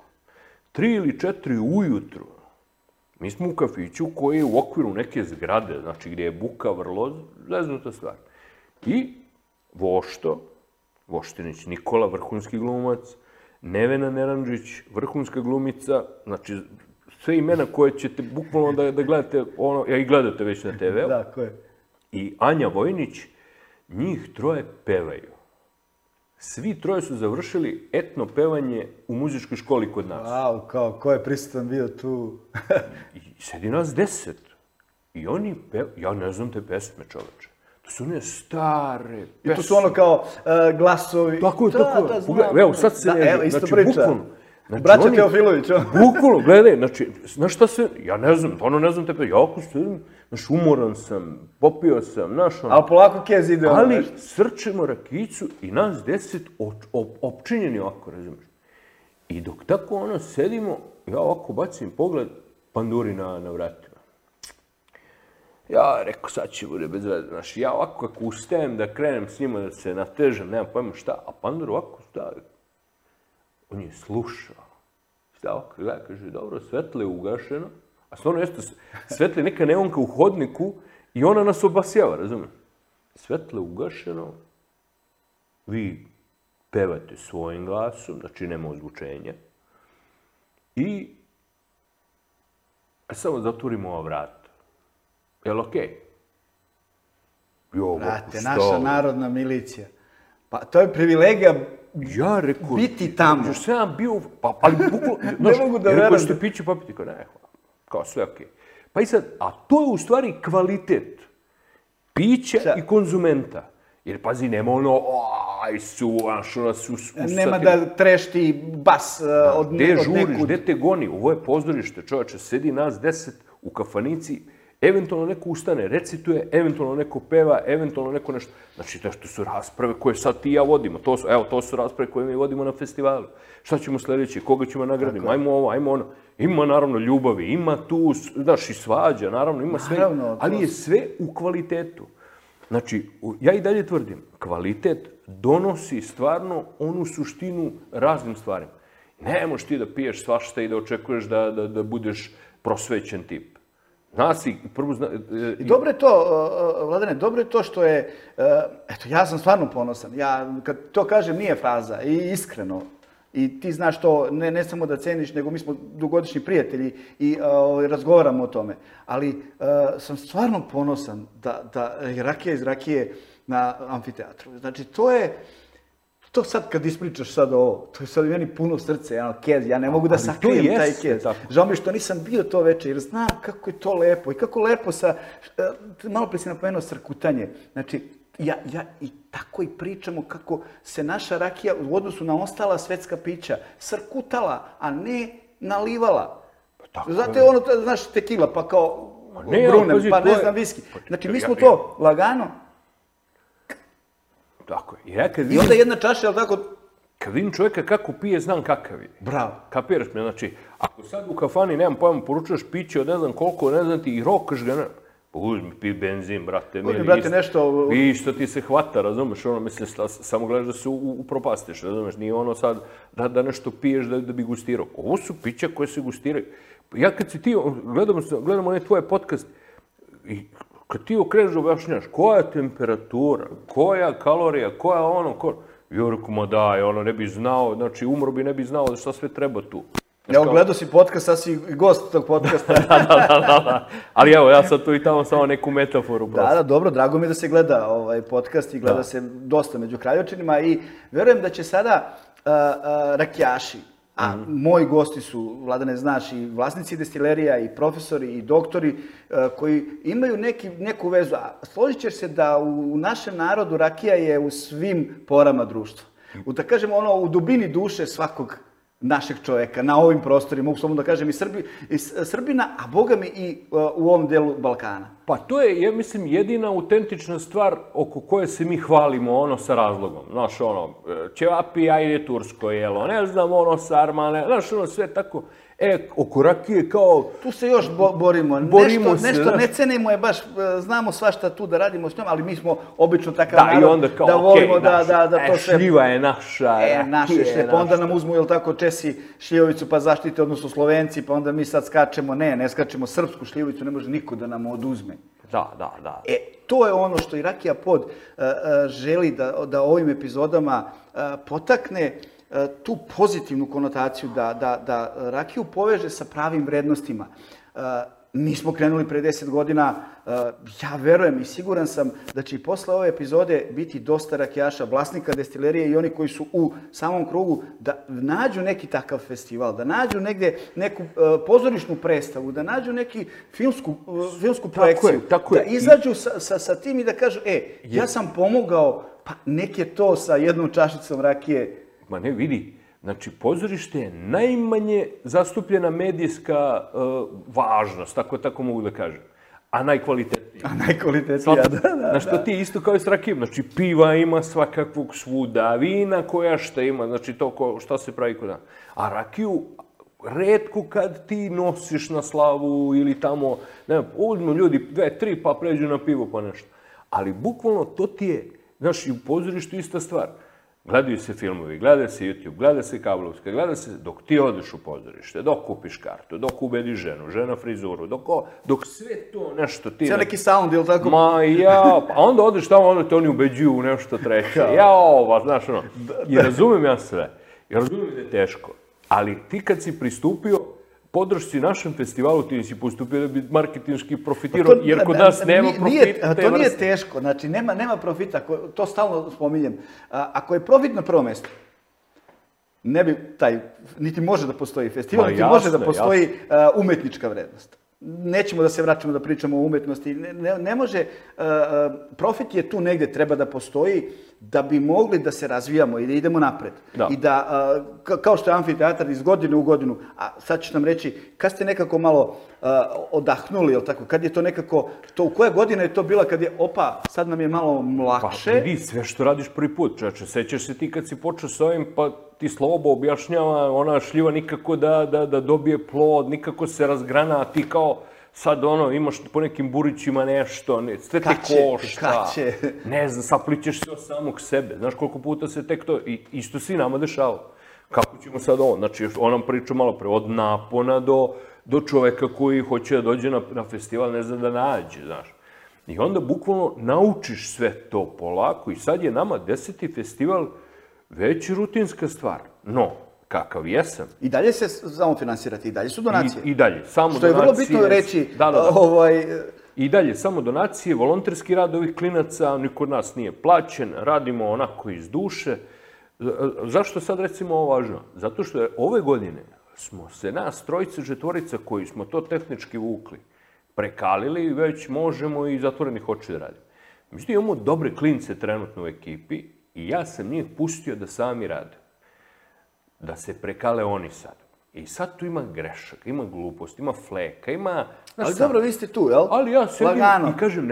3 ili 4 ujutru mi smo u kafiću koji je u okviru neke zgrade, znači gdje je buka vrlo zeznuta stvar. I Voštinić Nikola, vrhunski glumac, Nevena Neranđić, vrhunska glumica, znači sve imena koje ćete bukvalno da gledate, i gledate već na TV-u. Da, ko je? I Anja Vojnić, njih troje pevaju. Svi troje su završili etno pevanje u muzičkoj školi kod nas. Wow, kao, ko je prisutan bio tu? I sedi nas 10. I oni pevaju, ja ne znam te pesme, čoveče. To su one stare pesme. I to su ono kao glasovi. Tako je. Evo, sad se evo, isto priča. Bukvalno. Braća Teofilović. Bukvalno, gledaj, znači, znaš šta se, ja ne znam, ono ne znam te pesme, ja ako sedim, znaš, umoran sam, popio sam, znaš, ono. Ali polako kez ide ono Ali nešto. srčemo rakijicu i nas 10 opčinjeni ovako, razumiješ. I dok tako ono sedimo, ja ovako bacim pogled, panduri na vratima. Ja rekao, sad će bude bez veze, znaš, ja ovako kako ustajem da krenem s njima da se natežem, nemam pojma šta, a pandur ovako stavi. On je slušao. Šta ovako gleda, kaže, dobro, svetlo je ugašeno, a stvarno jeste, svetlo je neka neonka u hodniku i ona nas obasjava, razumiješ? Svetlo je ugašeno, vi pevate svojim glasom, znači nema ozvučenja, i samo zatvorimo ova vrata. Jel' okej? Brate, naša narodna milicija. Pa to je privilegija ja rekao, biti tamo. Još sam bio, ali bukvalno, ne mogu da verujem. Rekao, ćete pići, pa piti, ne, hvala. Kao sve okej. Pa i sad, a to je u stvari kvalitet pića i konzumenta. Jer, pazi, nema ono, aj su, ono su usatili. Nema da trešti bas od nekud. Gde žuriš, gde te goni? Ovo je pozorište, čovječe, sedi nas 10 u kafanici, eventualno neko ustane, recituje, eventualno neko peva, eventualno neko nešto. Znači, to su rasprave koje sad ti i ja vodimo. To su rasprave koje mi vodimo na festivalu. Šta ćemo sljedeći? Koga ćemo nagraditi? Ajmo ovo, ajmo ono. Ima, naravno, ljubavi, ima tu, znaš, i svađa, naravno, ima sve. Ali je sve u kvalitetu. Znači, ja i dalje tvrdim, kvalitet donosi stvarno onu suštinu raznim stvarima. Ne možeš ti da piješ svašta i da očekuješ da budeš prosvećen tip. I dobro je to, Vladane, dobro je to što je, eto, ja sam stvarno ponosan. Ja, kad to kažem, nije fraza, i iskreno. I ti znaš to, ne samo da ceniš, nego mi smo dugogodišnji prijatelji i razgovaramo o tome. Ali sam stvarno ponosan da je rakija iz rakije na amfiteatru. Znači, to sad kad ispričaš sad ovo, to je sad meni puno srce, kez, ja ne mogu da sakrijem taj kez. Žao mi što nisam bio to veče, jer znam kako je to lepo i kako lepo malo pre si napomenuo srkutanje. Znači, ja i tako i pričamo kako se naša rakija u odnosu na ostala svetska pića srkutala, a ne nalivala. Znate, ono, znaš, tekila, pa kao Brunem, pa ne znam, viski. Znači, mi smo to lagano. Tako je. I onda jedna čaša, ali tako... Kad vidim čovjeka kako pije, znam kakav je. Bravo. Kapiraš me, znači, ako sad u kafani, nemam pojma, poručuješ piće od ne znam koliko, ne znam ti, i rokaš ga, pa uzmi, pi benzin, brate. Uzmi, brate, nešto... Vi što ti se hvata, razumeš, ono, misliš, samo gledaš da se upropastiš, razumeš, nije ono sad da nešto piješ da bi gustirao. Ovo su pića koje se gustiraju. Ja kad si ti, gledam onaj tvoj podcast, i kad ti okreneš objašnjaš, koja je temperatura, koja kalorija, koja ono, ja rekao, ma daj, ono, ne bi znao, znači, umro bi, ne bi znao šta sve treba tu. Evo, gledao si podcast, sad si gost tog podcasta. Da. Ali evo, ja sad tu i tamo samo neku metaforu. Da, dobro, drago mi je da se gleda ovaj podcast i gleda se dosta među Kraljevčanima i verujem da će sada rakijaši, a moji gosti su, Vladane, znaš, i vlasnici destilerija, i profesori, i doktori, koji imaju neku vezu. A složit ćeš se da u našem narodu rakija je u svim porama društva. Da kažemo, ono, u dubini duše svakog našeg čovjeka, na ovim prostorima, mogu samo da kažem i Srbina, a boga mi i u ovom delu Balkana. Pa to je, ja mislim, jedina autentična stvar oko koje se mi hvalimo, ono, sa razlogom. Znaš, ono, ćevapi, ajde tursko jelo, ne znam, ono, sarmane, znaš, ono, sve tako. Oko rakije kao... Tu se još borimo. Nešto ne cenimo je baš, znamo svašta tu da radimo s njom, ali mi smo obično takav narod da volimo da to sve... Šljiva je naša, naše šljive, pa onda nam uzmu, jel tako, Česi šljivovicu pa zaštite, odnosno Slovenci, pa onda mi sad skačemo, ne skačemo srpsku šljivovicu, ne može niko da nam oduzme. Da. To je ono što i Rakija Pod želi da ovim epizodama potakne tu pozitivnu konotaciju, da rakiju poveže sa pravim vrednostima. Mi smo krenuli pre 10 godina, ja verujem i siguran sam da će i posle ove epizode biti dosta rakijaša, vlasnika destilerije i oni koji su u samom krugu, da nađu neki takav festival, da nađu negde neku pozorišnu predstavu, da nađu neki filmsku projekciju, da izađu sa tim i da kažu, ja sam pomogao, pa nek je to sa jednom čašicom rakije. Ma ne, vidi, znači, pozorište je najmanje zastupljena medijska važnost, tako mogu da kažem, a najkvalitetnija. Da. Znaš, to ti je isto kao i s rakijom, znači, piva ima svakakvog svuda, vina koja šta ima, znači, to šta se pravi kod nas. A rakiju, retko kad ti nosiš na slavu ili tamo, ne znam, uzmu ljudi 2-3 pa pređu na pivo pa nešto. Ali bukvalno to ti je, znaš, i u pozorištu ista stvar. Gledaju se filmovi, gleda se YouTube, gleda se kablovska, gleda se dok ti odeš u pozorište, dok kupiš kartu, dok ubediš ženu, žena frizuru, dok sve to nešto ti... Sve neki sound, ili tako? Ma pa onda odeš tamo, onda te oni ubeđuju u nešto treće. Znaš ono, i razumem ja sve. I razumem da je teško. Ali ti kad si pristupio podršci našem festivalu, ti si postupio da bi marketinški profitirao, jer kod nas nema profita. To nije teško, znači nema profita, to stalno spominjem. Ako je profit na prvo mesto, ne bi niti može da postoji festival, niti može da postoji umetnička vrednost. Nećemo da se vraćamo da pričamo o umetnosti. Ne može, profit je tu negde, treba da postoji da bi mogli da se razvijamo i da idemo napred. I da, kao što je amfiteatar iz godine u godinu, a sad ću nam reći, kad ste nekako malo odahnuli, jel tako, kad je to nekako, u koja godina je to bila kad je, sad nam je malo lakše. Pa vidi, sve što radiš prvi put, čače, sećaš se ti kad si počeo s ovim, pa ti Slobo objašnjava, ona šljiva nikako da dobije plod, nikako se razgrana, a ti kao sad imaš po nekim burićima nešto, sve te košta, ne znam, saplićeš se od samog sebe, znaš koliko puta se tek to, i isto si nama dešava. Kako ćemo sad ovo, znači on nam priča malo pre, od napona do čoveka koji hoće da dođe na festival, ne zna da nađe, znaš. I onda bukvalno naučiš sve to polako i sad je nama 10. festival već rutinska stvar. No, kakav jesam. I dalje se samo finansirati, i dalje su donacije. I dalje, samo donacije. Što je vrlo bitno reći. I dalje, samo donacije, volonterski rad ovih klinaca, niko od nas nije plaćen, radimo onako iz duše. Zašto sad recimo ovo važno? Zato što je ove godine smo se nas trojica, četvorica koji smo to tehnički vukli, prekalili i već možemo i zatvorenih očiju da radimo. Međutim, imamo dobre klince trenutno u ekipi i ja sam njih pustio da sami rade. Da se prekale oni sad. I sad tu ima grešaka, ima glupost, ima fleka, ima... Ali dobro, vi ste tu, jel? Ali ja sedim Lagano. i kažem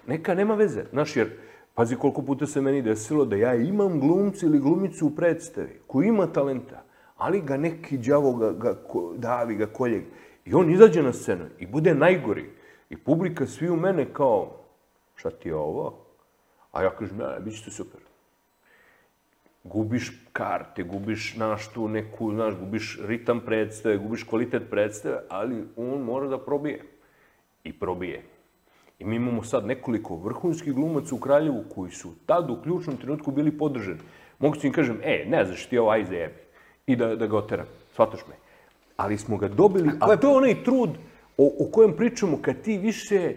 neka nema veze. Znaš, jer, pazi koliko puta se meni desilo da ja imam glumca ili glumicu u predstavi koji ima talenta, ali ga neki đavo davi, ga kolje. I on izađe na scenu i bude najgori. I publika svi u mene kao, šta ti je ovo? A ja kažem, ne, bit će to super. Gubiš karte, gubiš tu neku, gubiš ritam predstave, gubiš kvalitet predstave, ali on mora da probije. I probije. I mi imamo sad nekoliko vrhunskih glumaca u Kraljevu koji su tad u ključnom trenutku bili podržani. Mogu ti im kažem, ne znaš ti ovo, aj zajebi. I da ga oteram, shvataš me. Ali smo ga dobili, a to je onaj trud o kojem pričamo kad ti više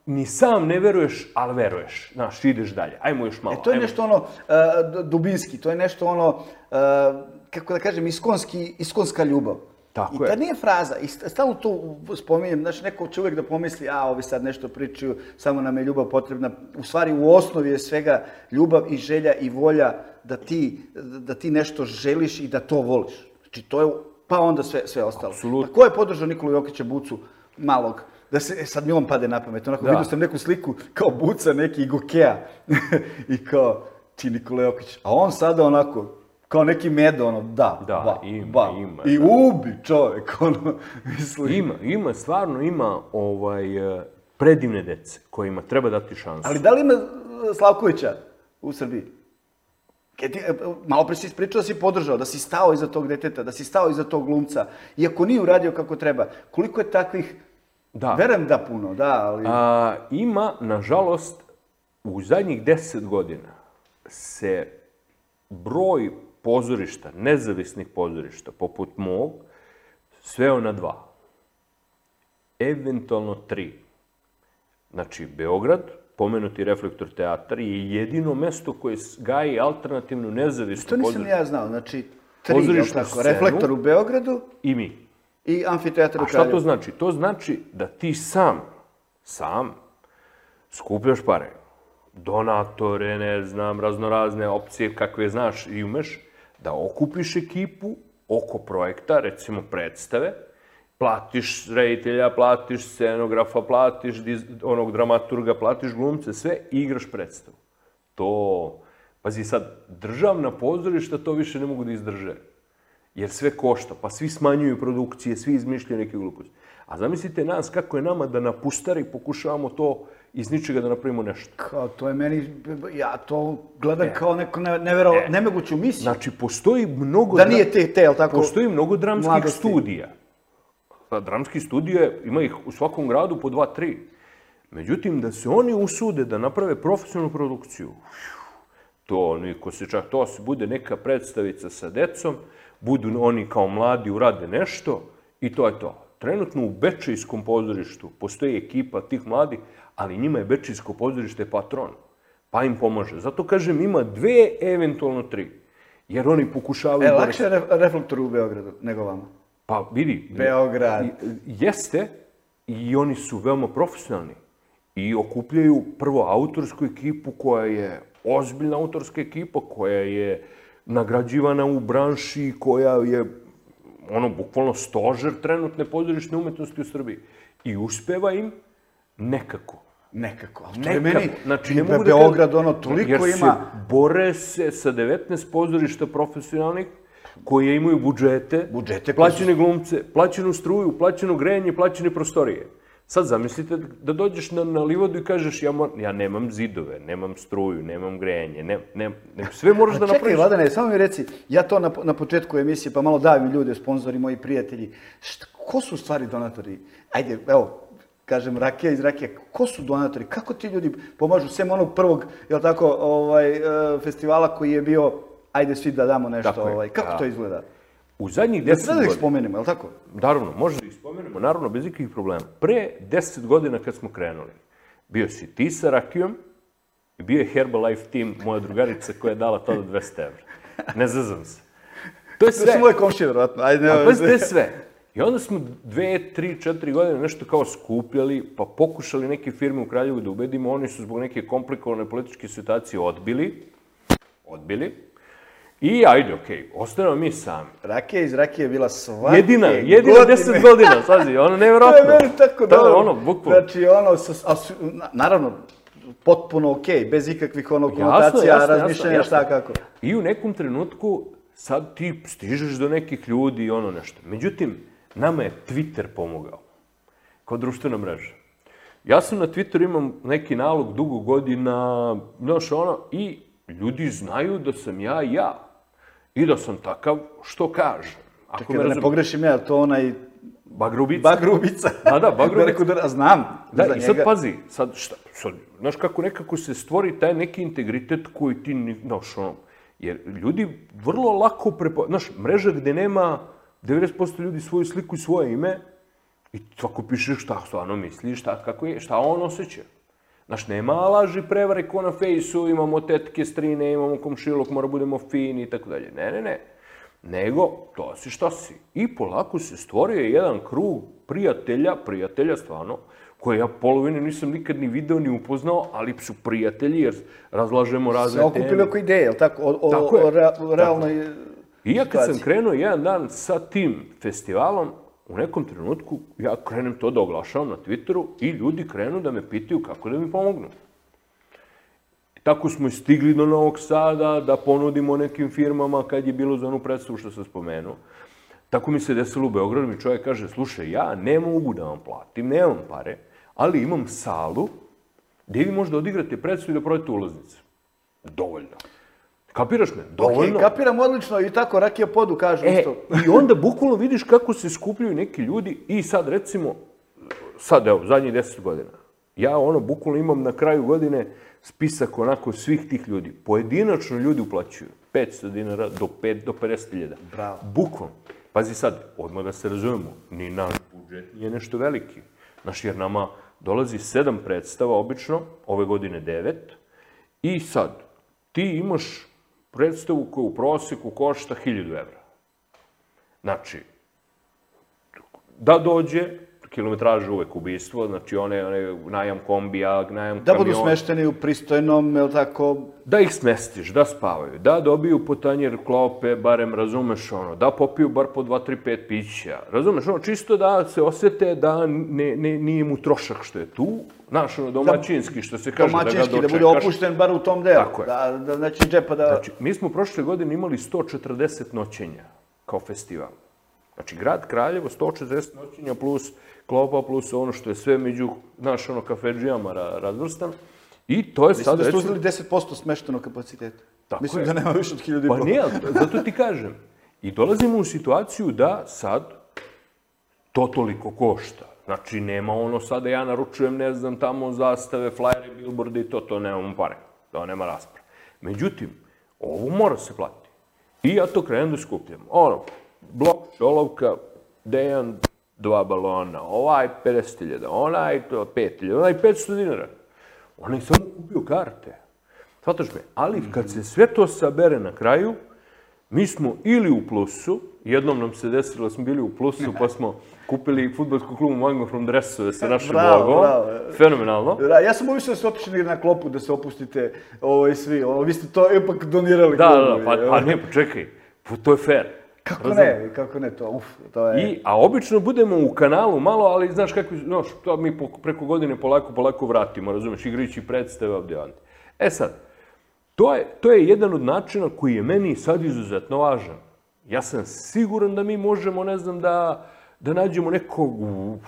ni sam ne veruješ, ali veruješ. Znaš, ideš dalje. Ajmo još malo. To je nešto dubinski, to je nešto kako da kažem, iskonska ljubav. Tako je. I ta nije fraza. I stalno to spominjem, znači neko će uvijek da pomisli, ovi sad nešto pričaju, samo nam je ljubav potrebna. U stvari, u osnovi je svega ljubav i želja i volja da ti nešto želiš i da to voliš. Znači, to je, pa onda sve ostalo. Apsolutno. Ko je podržao Nikolu Jokića Bucu malog? Da se, sad mi on pade na pamet, vidio sam neku sliku kao Buca neki Gokeja i kao ti Nikola Jokić. A on sada onako, kao neki medo, ima. I ubi čovek, misli. Stvarno ima predivne dece kojima treba dati šansu. Ali da li ima Slavkovića u Srbiji? Malo pre si ispričao da si podržao, da si stao iza tog deteta, da si stao iza tog glumca, iako nije uradio kako treba. Koliko je takvih? Verujem da puno, ali... Ima, nažalost, u zadnjih 10 godina se broj pozorišta, nezavisnih pozorišta, poput mog, sveo na 2. Eventualno 3. Znači, Beograd, pomenuti Reflektor teatar, je jedino mesto koje gaji alternativnu nezavisnu pozorištu. To nisam ja znao, znači 3, Reflektor u Beogradu i mi. I amfiteatar u Kraljevu. A šta to znači? To znači da ti sam skupljaš pare. Donatore, ne znam, raznorazne opcije kakve znaš i umeš, da okupiš ekipu oko projekta, recimo predstave, platiš reditelja, platiš scenografa, platiš onog dramaturga, platiš glumce, sve i igraš predstavu. Pazi sad, državna pozorišta to više ne mogu da izdrže. Jer sve košta, pa svi smanjuju produkcije, svi izmišljaju neke gluposti. A zamislite nas, kako je nama da na pustari pokušavamo to iz ničega da napravimo nešto. Kao, to je meni, ja to gledam kao neko nemoguću misiju. Znači, postoji mnogo... Da nije jel tako? Postoji mnogo dramskih studija. Dramski studije, ima ih u svakom gradu po 2-3. Međutim, da se oni usude da naprave profesionalnu produkciju, to se bude neka predstavica sa decom, budu oni kao mladi, urade nešto i to je to. Trenutno u Bečejskom pozorištu postoji ekipa tih mladih, ali njima je Bečejsko pozorište patron, pa im pomaže. Zato kažem, ima 2, eventualno 3, jer oni pokušavaju... Lakše je Reflektor u Beogradu nego vama? Pa vidi, Beograd. Jeste i oni su veoma profesionalni i okupljaju prvo autorsku ekipu koja je ozbiljna autorska ekipa, koja je nagrađivana u branši, koja je bukvalno stožer trenutne pozorišne umetnosti u Srbiji. I uspeva im nekako. Nekako. To je meni, znači, Beograd, toliko ima... Jer se bore se sa 19 pozorišta profesionalnih koje imaju budžete, plaćene glumce, plaćenu struju, plaćeno grejanje, plaćene prostorije. Sad zamislite da dođeš na livadu i kažeš ja nemam zidove, nemam struju, nemam grejanje, sve moraš da napraviš. Čekaj, Vladane, samo mi reci, ja to na početku emisije, pa malo davim ljude, sponzori, moji prijatelji, ko su u stvari donatori? Ajde, evo, kažem, Rakija iz Rakija, ko su donatori? Kako ti ljudi pomažu, sem onog prvog, jel tako, festivala koji je bio, ajde svi da damo nešto, kako to izgleda? U zadnjih 10 godina... Da ih spomenemo, je li tako? Naravno, može da ih spomenemo, naravno, bez ikakvih problema. Pre 10 godina kad smo krenuli, bio si ti sa Rakijom i bio je Herbalife Team, moja drugarica koja je dala tada 200 evra. Ne zazam se. To je sve. To su moje komšije, vjerojatno. Pa to je sve. I onda smo 2, 3, 4 godine nešto kao skupljali, pa pokušali neke firme u Kraljevu da ubedimo, oni su zbog neke komplikovane političke situacije odbili. I ajde, okej, ostanemo mi sami. Rakija iz Rakije je bila svake Jedina godine. 10 godina, sazi, ono nevjerojatno. To je meni tako dobro. Ono, bukvalno. Znači, naravno, potpuno okej, bez ikakvih konotacija, razmišljanja, šta kako. I u nekom trenutku sad ti stižeš do nekih ljudi i ono nešto. Međutim, nama je Twitter pomogao kao društvena mreža. Ja sam na Twitteru imam neki nalog dugo godina, znaš ono, i ljudi znaju da sam ja. I da sam takav što kažem. Čekaj, da ne pogrešim ja, to onaj... Bagrubica. Bagrubica. Da, Bagrubica. Znam. Da, i sad pazi, sad, znaš kako nekako se stvori taj neki integritet koji ti, znaš, ono, jer ljudi vrlo lako znaš, mreža gde nema 90% ljudi svoju sliku i svoje ime i svako piše šta stvarno misli, šta on osjeća. Znaš, nema laži prevare ko na fejsu, imamo tetke, strine, imamo komšilok, mora budemo fini i tako dalje. Ne. Nego, to si šta si. I polako se stvorio jedan krug prijatelja stvarno, koje ja polovinu nisam nikad ni video ni upoznao, ali su prijatelji jer razlažemo razne teme. Se okupili oko ideje, je li tako? O realnoj... I ja kad sam krenuo jedan dan sa tim festivalom, u nekom trenutku ja krenem to da oglašavam na Twitteru i ljudi krenu da me pitaju kako da mi pomognu. Tako smo i stigli do Novog Sada, da ponudimo nekim firmama kad je bilo za onu predstavu što sam spomenuo. Tako mi se desilo u Beogradu, mi čovjek kaže, slušaj, ja ne mogu da vam platim, nemam pare, ali imam salu gdje vi možda odigrate predstavu i da prodate ulaznice. Dovoljno. Kapiraš me? Dovoljno. Ok, kapiram odlično i tako Rakija Podu kažu isto. I onda bukvalno vidiš kako se skupljaju neki ljudi i sad recimo, evo, zadnjih 10 godina, ja bukvalno imam na kraju godine spisak onako svih tih ljudi. Pojedinačno ljudi uplaćuju 500 dinara do 50.000. Bravo. Bukvalno. Pazi sad, odmah da se razumemo, ni naš budžet nije nešto veliki. Znaš, jer nama dolazi 7 predstava obično, ove godine 9, i sad, ti imaš predstavu koja u prosjeku košta 1000 evra. Znači, da dođe, kilometraža uvek ubistvo, znači one najam kombija, najam kamiona. Da budu smešteni u pristojnom, je li tako? Da ih smestiš, da spavaju, da dobiju po tanjer klope, barem, razumeš ono, da popiju bar po 2, 3, 5 pića, razumeš ono, čisto da se osjete da nije mu trošak što je tu, znaš ono, domaćinski, što se kaže da ga dočekaš. Domaćinski, da bude opušten bar u tom delu, tako je. da neće džepa da... Znači, mi smo prošle godine imali 140 noćenja kao festival. Znači, grad Kraljevo, 140 noćenja plus klopa, plus ono što je sve među, znaš, ono, kafedžijama razvrstan. I to je sad, recimo... Mislim da ste uzeli 10% smeštenog kapaciteta. Mislim da nema više od 1000 i pol. Pa nije, zato ti kažem. I dolazimo u situaciju da sad to toliko košta. Znači, nema ono sada ja naručujem, ne znam, tamo zastave, flajere, billboarde i to nemamo pare. To nema rasprave. Međutim, ovo mora se platiti. I ja to krenem da skupljam. Ono, blok, šolovka, Dejan, 2 balona, ovaj 50.000, onaj 5.000, onaj 500 dinara. Onaj samo kupio karte. Shvataš me? Ali kad se sve to sabere na kraju, mi smo ili u plusu, jednom nam se desilo da smo bili u plusu, pa smo kupili fudbalsku klubu Mango from Dresove sa našim logom. Fenomenalno. Ja sam uvišao da ste otišli na klopu, da se opustite svi. Vi ste to ipak donirali. Da, pa ne, čekaj, to je fair. Kako ne, to je... A obično budemo u kanalu malo, ali znaš kako, to mi preko godine polako vratimo, razumeš, igrajući predstave ovdje. E sad, to je jedan od načina koji je meni sad izuzetno važan. Ja sam siguran da mi možemo, ne znam, da nađemo nekog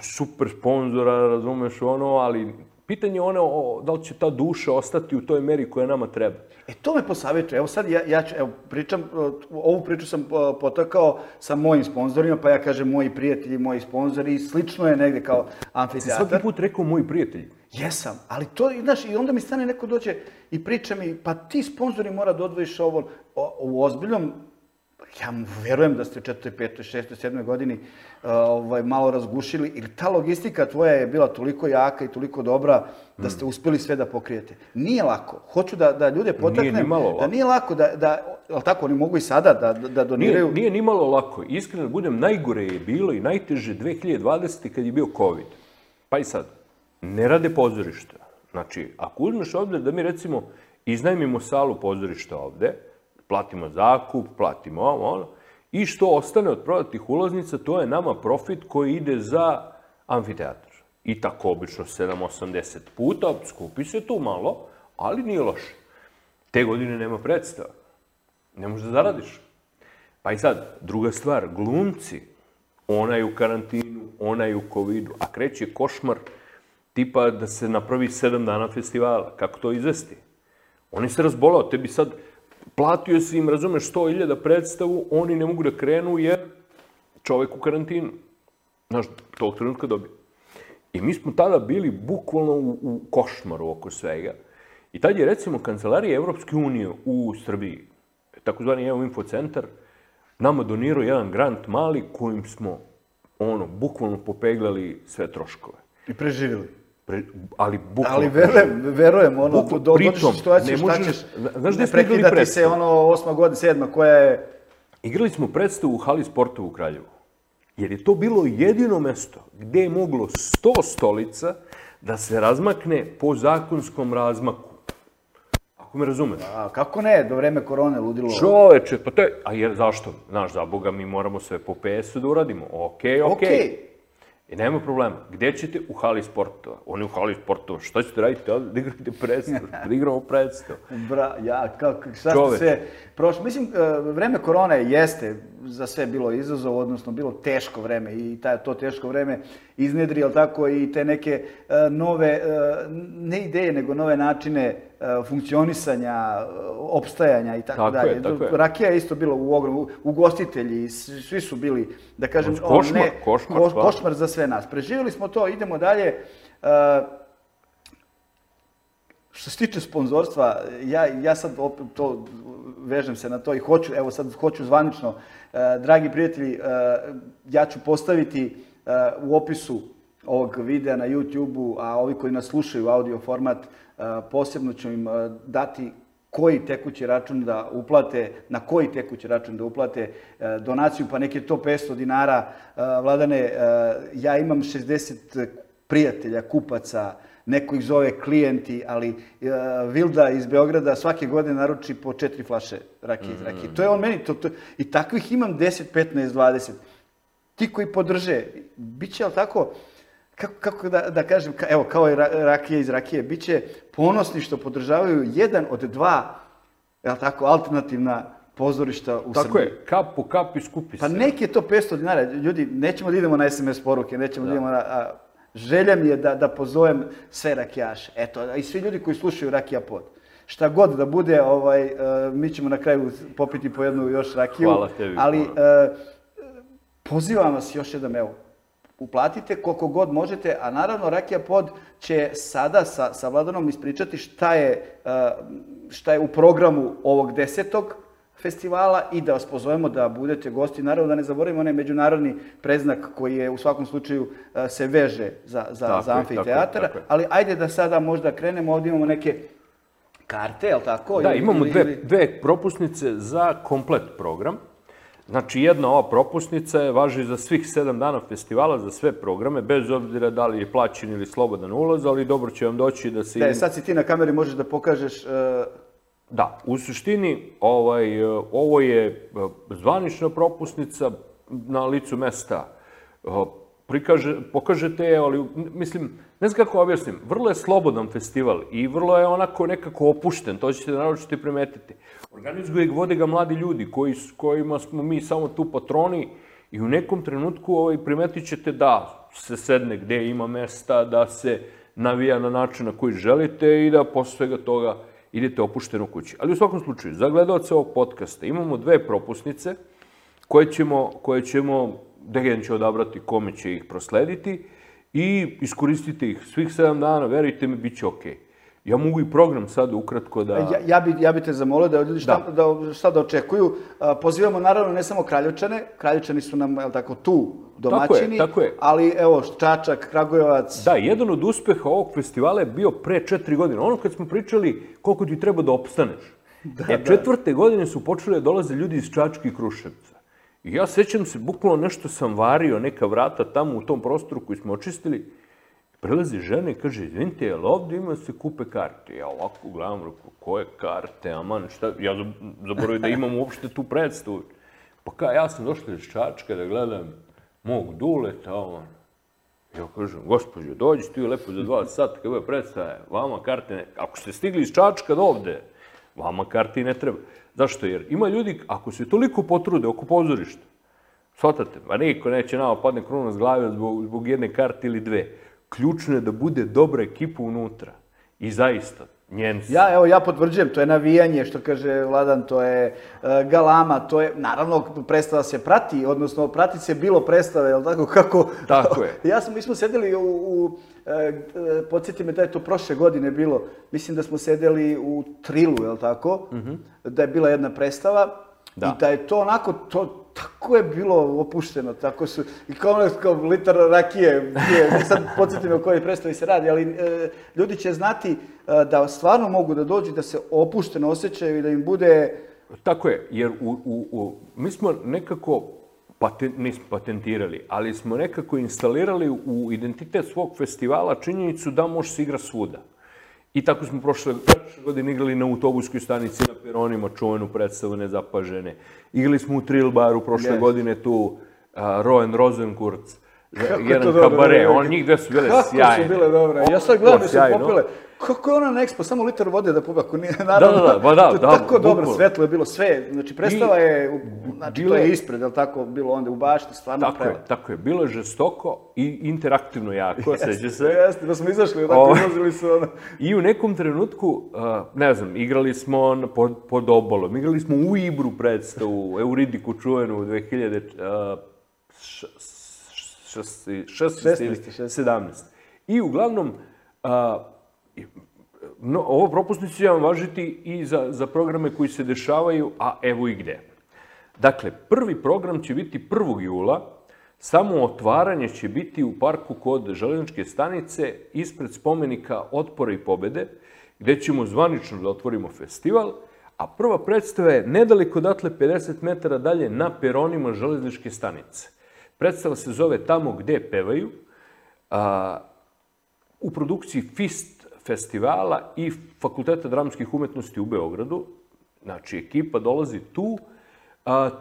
super sponzora, razumeš, ali pitanje je da li će ta duša ostati u toj meri koja nama treba. To me posavjetuje. Evo sad ja pričam, ovu priču sam potakao sa mojim sponzorima, pa ja kažem moji prijatelji, moji sponzori, slično je negde kao amfiteatar. Si svaki put rekao moji prijatelji? Jesam, ali to, znaš, i onda mi stane neko dođe i priča mi, pa ti sponzori mora da odvojiš ovo u ozbiljnom, ja mu verujem da ste u 4., 5., 6., 7. godini malo razgušili, ili ta logistika tvoja je bila toliko jaka i toliko dobra da ste uspjeli sve da pokrijete. Nije lako. Hoću da ljude potaknem da nije lako, ali tako, oni mogu i sada da doniraju. Nije ni malo lako. Iskreno budem, najgore je bilo i najteže 2020. kad je bio COVID. Pa i sad, ne rade pozorišta. Znači, ako uzmeš ovdje da mi recimo iznajmimo salu pozorišta ovdje, Platimo zakup, platimo ono. I što ostane od prodatih ulaznica, to je nama profit koji ide za amfiteatar. I tako obično 7-80 puta, skupi se tu malo, ali nije loše. Te godine nema predstava. Ne možeš da zaradiš. Pa i sad, druga stvar, glumci, ona je u karantinu, ona je u covidu, a kreće košmar tipa da se napravi 7 dana festivala. Kako to izvesti? Oni se razbolao, tebi sad platio si im, razumeš, 100.000 predstavu, oni ne mogu da krenu jer čovek u karantinu. Znaš, tog trenutka dobije. I mi smo tada bili bukvalno u košmaru oko svega. I tad je, recimo, Kancelarija Evropske unije u Srbiji, takozvani EO Info centar, nama donirao jedan grant mali kojim smo, bukvalno popeglali sve troškove. I preživjeli. Ali bukvalno... Ali verujem, dođeš u situaciju šta ćeš, ne prekidati se, 8. godina, 7. koja je... Igrali smo predstavu u hali sportova u Kraljevu. Jer je to bilo jedino mesto gde je moglo 100 stolica da se razmakne po zakonskom razmaku. Ako me razumeš? A kako ne, do vreme korone ludilo. Čoveče, pa to je... A jer zašto? Znaš, za Boga, mi moramo sve po PS-u da uradimo. Okej. I nema problema. Gde ćete? U hali sportova. Oni u hali sportova. Šta ćete raditi ovdje? Da igrate predstavu. Da igramo predstavu. Šta ste sve prošli? Mislim, vreme korone jeste za sve bilo izazov, odnosno bilo teško vreme i to teško vreme iznedri, ali tako i te neke nove, ne ideje, nego nove načine funkcionisanja, opstajanja i tako dalje. Rakija je isto bila u ogromu, ugostitelji, svi su bili, da kažem, košmar za sve nas. Preživjeli smo to, idemo dalje. Što se tiče sponzorstva, ja sad to vežem se na to i hoću zvanično, dragi prijatelji, ja ću postaviti u opisu ovog videa na YouTube-u, a ovi koji nas slušaju audio format, posebno ću im dati koji tekući račun da uplate, na koji tekući račun da uplate donaciju, pa nek je to 500 dinara. Vladane, ja imam 60 prijatelja, kupaca, neko ih zove klijenti, ali Vilda iz Beograda svake godine naruči po 4 flaše rakije iz rakije. To je on meni, i takvih imam 10, 15, 20. Ti koji podrže, bit će, ali tako, kako da kažem, evo, kao i rakije iz rakije, bit će ponosni što podržavaju jedan od dva, jel tako, alternativna pozorišta u Srbiji. Tako je, kap po kap i skupi se. Pa nek je to 500 dinara, ljudi, nećemo da idemo na SMS poruke, nećemo da idemo na... Želja mi je da pozovem sve rakijaše, eto, i svi ljudi koji slušaju Rakija Pod. Šta god da bude, mi ćemo na kraju popiti po jednu još rakiju. Hvala tebi. Ali pozivam vas još jednom, evo, uplatite koliko god možete, a naravno Rakija Pod će sada sa Vladanom ispričati šta je u programu ovog 10. festivala i da vas pozovemo da budete gosti. Naravno da ne zaboravimo onaj međunarodni predznak koji je u svakom slučaju se veže za amfiteatar, ali ajde da sada možda krenemo, ovdje imamo neke karte, je li tako? Da, imamo dve propusnice za komplet program. Znači, jedna ova propusnica važi za svih 7 dana festivala, za sve programe, bez obzira da li je plaćen ili slobodan ulaz, ali dobro će vam doći da se... Da, sad si ti na kameri, možeš da pokažeš... Da, u suštini ovo je zvanična propusnica na licu mesta. Pokažete je, ali mislim, ne znam kako objasnim, vrlo je slobodan festival i vrlo je onako nekako opušten, to ćete naročito i primetiti. Organizuju ga, vode ga mladi ljudi kojima smo mi samo tu patroni i u nekom trenutku primetit ćete da se sedne gde ima mesta, da se navija na način na koji želite i da posle svega toga idete opušteno kući. Ali u svakom slučaju, za gledalce ovog podcasta imamo 2 propusnice koje ćemo, Degen će odabrati kome će ih proslediti i iskoristite ih svih 7 dana, verujte mi, bit će okej. Ja mogu i program sad ukratko da... Ja bi te zamolio da ljudi šta da očekuju. Pozivamo naravno ne samo Kraljevčane, Kraljevčani su nam, tako, tu domaćini, ali evo, Čačak, Kragujevac... Da, jedan od uspeha ovog festivala je bio pre 4 godine. Ono kad smo pričali koliko ti treba da opstaneš. 4. godine su počeli da dolaze ljudi iz Čačka i Kruševca. I ja sećam se, bukvalno nešto sam vario, neka vrata tamo u tom prostoru koji smo očistili. Prelazi žena i kaže, izvinite, jel ovdje ima se kupe karte? Ja ovako gledam, rekao, koje karte, aman, šta? Ja zaboravio da imam uopšte tu predstavu. Pa ja sam došla iz Čačka da gledam mog Duleta, on. Ja kažem, gospođo, dođi tu lepo za 2 sata, kako je predstava, vama karte ne... Ako ste stigli iz Čačka do ovde, vama karti ne treba. Zašto? Jer ima ljudi, ako se toliko potrude oko pozorišta, shvatate, pa niko neće nama padne kruna s glave zbog jedne karte ili 2. Ključno je da bude dobra ekipa unutra. I zaista, njenci. Ja potvrđujem, to je navijanje, što kaže Vladan, to je galama, to je, naravno, predstava se prati, odnosno prati se bilo predstave, jel tako, kako... Tako je. Mi smo sedeli podsjeti me da je to prošle godine bilo, mislim da smo sedeli u Trilu, jel tako, da je bila jedna predstava i da je to onako, tako je bilo opušteno, tako su, i kao litar rakije, sad podsjeti me o kojoj predstavi se radi, ali ljudi će znati da stvarno mogu da dođu, da se opušteno osjećaju i da im bude... Tako je, jer mi smo nekako, nismo patentirali, ali smo nekako instalirali u identitet svog festivala činjenicu da može se igra svuda. I tako smo prošle godine igrali na autobuskoj stanici, na peronima, čuvenu predstavu Nezapažene. Igrali smo u Trill baru prošle godine tu, Roen Rosenkurz, jedan kabare, njih dve su bile sjajne. Kako su bile dobre. Ja sad gledam da su popile. Kako je ona na Expo, samo litar vode da popije, ako nije, naravno. Da, tako dobro, svetlo je bilo sve. Znači, predstava je, znači, to je ispred, je li tako, bilo onda u bašti, stvarno prema. Tako je, bilo je žestoko i interaktivno jako, seća se. Jeste, da smo izašli, tako izlazili su ono. I u nekom trenutku, ne znam, igrali smo pod obalom, igrali smo u Ibru predstavu, Euridiku čuvenu u 2016 ili 17. I uglavnom, ovo propusnicu će vam važiti i za programe koji se dešavaju, a evo i gde. Dakle, prvi program će biti 1. jula, samo otvaranje će biti u parku kod Železničke stanice ispred spomenika Otpora i pobede, gde ćemo zvanično da otvorimo festival, a prva predstava je nedaleko odatle 50 metara dalje na peronima Železničke stanice. Predstava se zove Tamo gde pevaju, u produkciji FIST festivala i Fakulteta dramskih umetnosti u Beogradu. Znači, ekipa dolazi tu.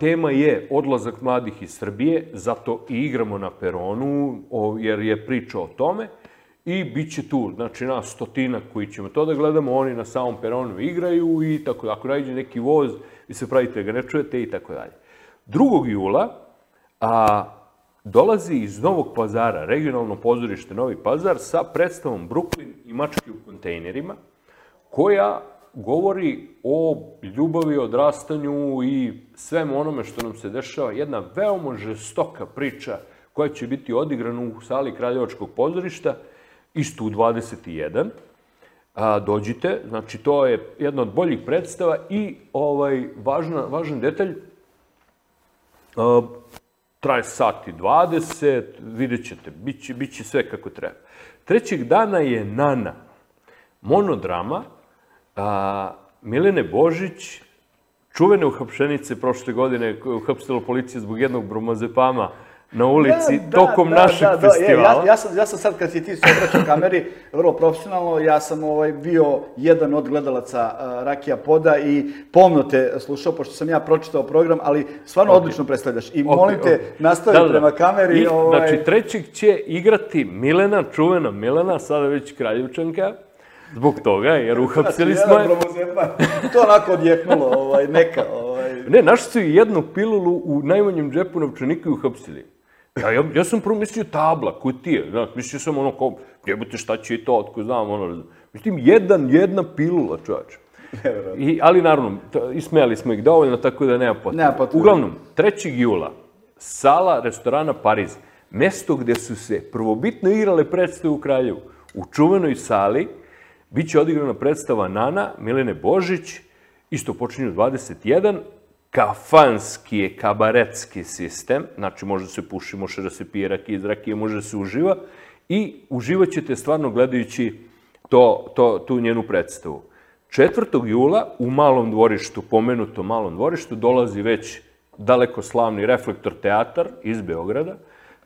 Tema je odlazak mladih iz Srbije, zato i igramo na peronu, jer je priča o tome. I bit će tu, znači, nas 100 koji ćemo to da gledamo, oni na samom peronu igraju i tako da. Ako nađe neki voz, vi se pravite ga ne čujete i tako dalje. 2. jula dolazi iz Novog Pazara, regionalno pozorište Novi Pazar, sa predstavom Brooklyn i mačke u kontejnerima, koja govori o ljubavi, odrastanju i svemu onome što nam se dešava. Jedna veoma žestoka priča koja će biti odigrana u sali Kraljevačkog pozorišta, isto u 21. Dođite, znači to je jedna od boljih predstava i važan detalj, traje sat i 20, vidjet ćete, bit će sve kako treba. 3. dana je Nana, monodrama, Milene Božić, čuvene uhapšenice prošle godine koje je uhapsila policija zbog jednog bromazepama na ulici tokom našeg festivala. Ja sam sad, kad si ti se obraćao kameri, vrlo profesionalno, ja sam bio jedan od gledalaca Rakija Poda i pomno te slušao, pošto sam ja pročitao program, ali stvarno odlično predstavljaš. I molim te, nastavi prema kameri. Znači, 3. će igrati Milena, čuvena Milena, sada već Kraljevčanka, zbog toga, jer uhapsili smo je. To onako odjeknulo, neka. Ne, našli su i jednu pilulu u najmanjem džepu novčanika i uhapsili. Ja sam prvo mislio tabla, kutije, mislio sam ono kao, jebote šta će i to, otko znam, ono, mislim, jedna pilula, čovječ. Ali naravno, ismejali smo ih dovoljno, tako da nema potrebe. Uglavnom, 3. jula, sala restorana Pariz, mesto gde su se prvobitno igrale predstave u Kraljevu, u čuvenoj sali, bit će odigrana predstava Nana, Milene Božić, isto počinje u 21, kafanski je kabaretski sistem, znači može se puši, može da se pije rakije iz rakije, može da se uživa i uživat ćete stvarno gledajući tu njenu predstavu. 4. jula u Malom dvorištu, pomenutom Malom dvorištu, dolazi već daleko slavni Reflektor teatar iz Beograda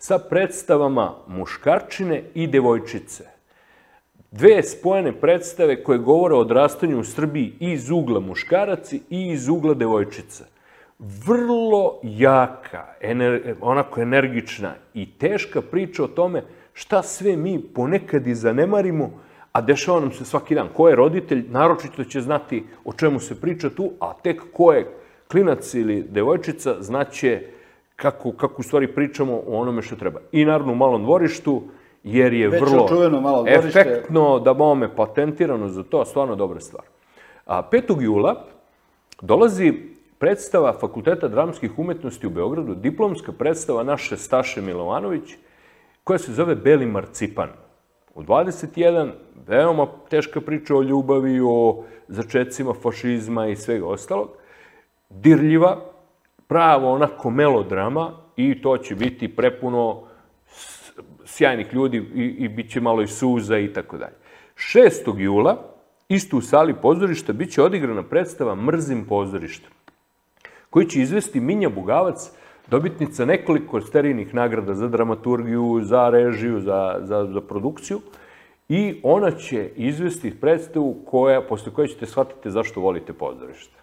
sa predstavama muškarčine i devojčice. Dve spojene predstave koje govore o odrastanju u Srbiji iz ugla muškaraci i iz ugla devojčica. Vrlo jaka, onako energična i teška priča o tome šta sve mi ponekad i zanemarimo, a dešava nam se svaki dan. Ko je roditelj, naročito će znati o čemu se priča tu, a tek ko je klinac ili devojčica znaće kako u stvari pričamo o onome što treba. I naravno u Malom dvorištu, jer je vrlo efektno, da bome patentirano za to, stvarno dobra stvar. 5. jula dolazi predstava Fakulteta dramskih umetnosti u Beogradu, diplomska predstava naše Staše Milovanović, koja se zove Beli marcipan. U 21, veoma teška priča o ljubavi, o začecima fašizma i svega ostalog. Dirljiva, pravo onako melodrama i to će biti prepuno sjajnih ljudi i bit će malo i suza i tako dalje. 6. jula, isto u sali pozorišta, bit će odigrana predstava Mrzim pozorište, koji će izvesti Minja Bugavac, dobitnica nekoliko sterijnih nagrada za dramaturgiju, za režiju, za produkciju. I ona će izvesti predstavu posle koje ćete shvatiti zašto volite pozorište.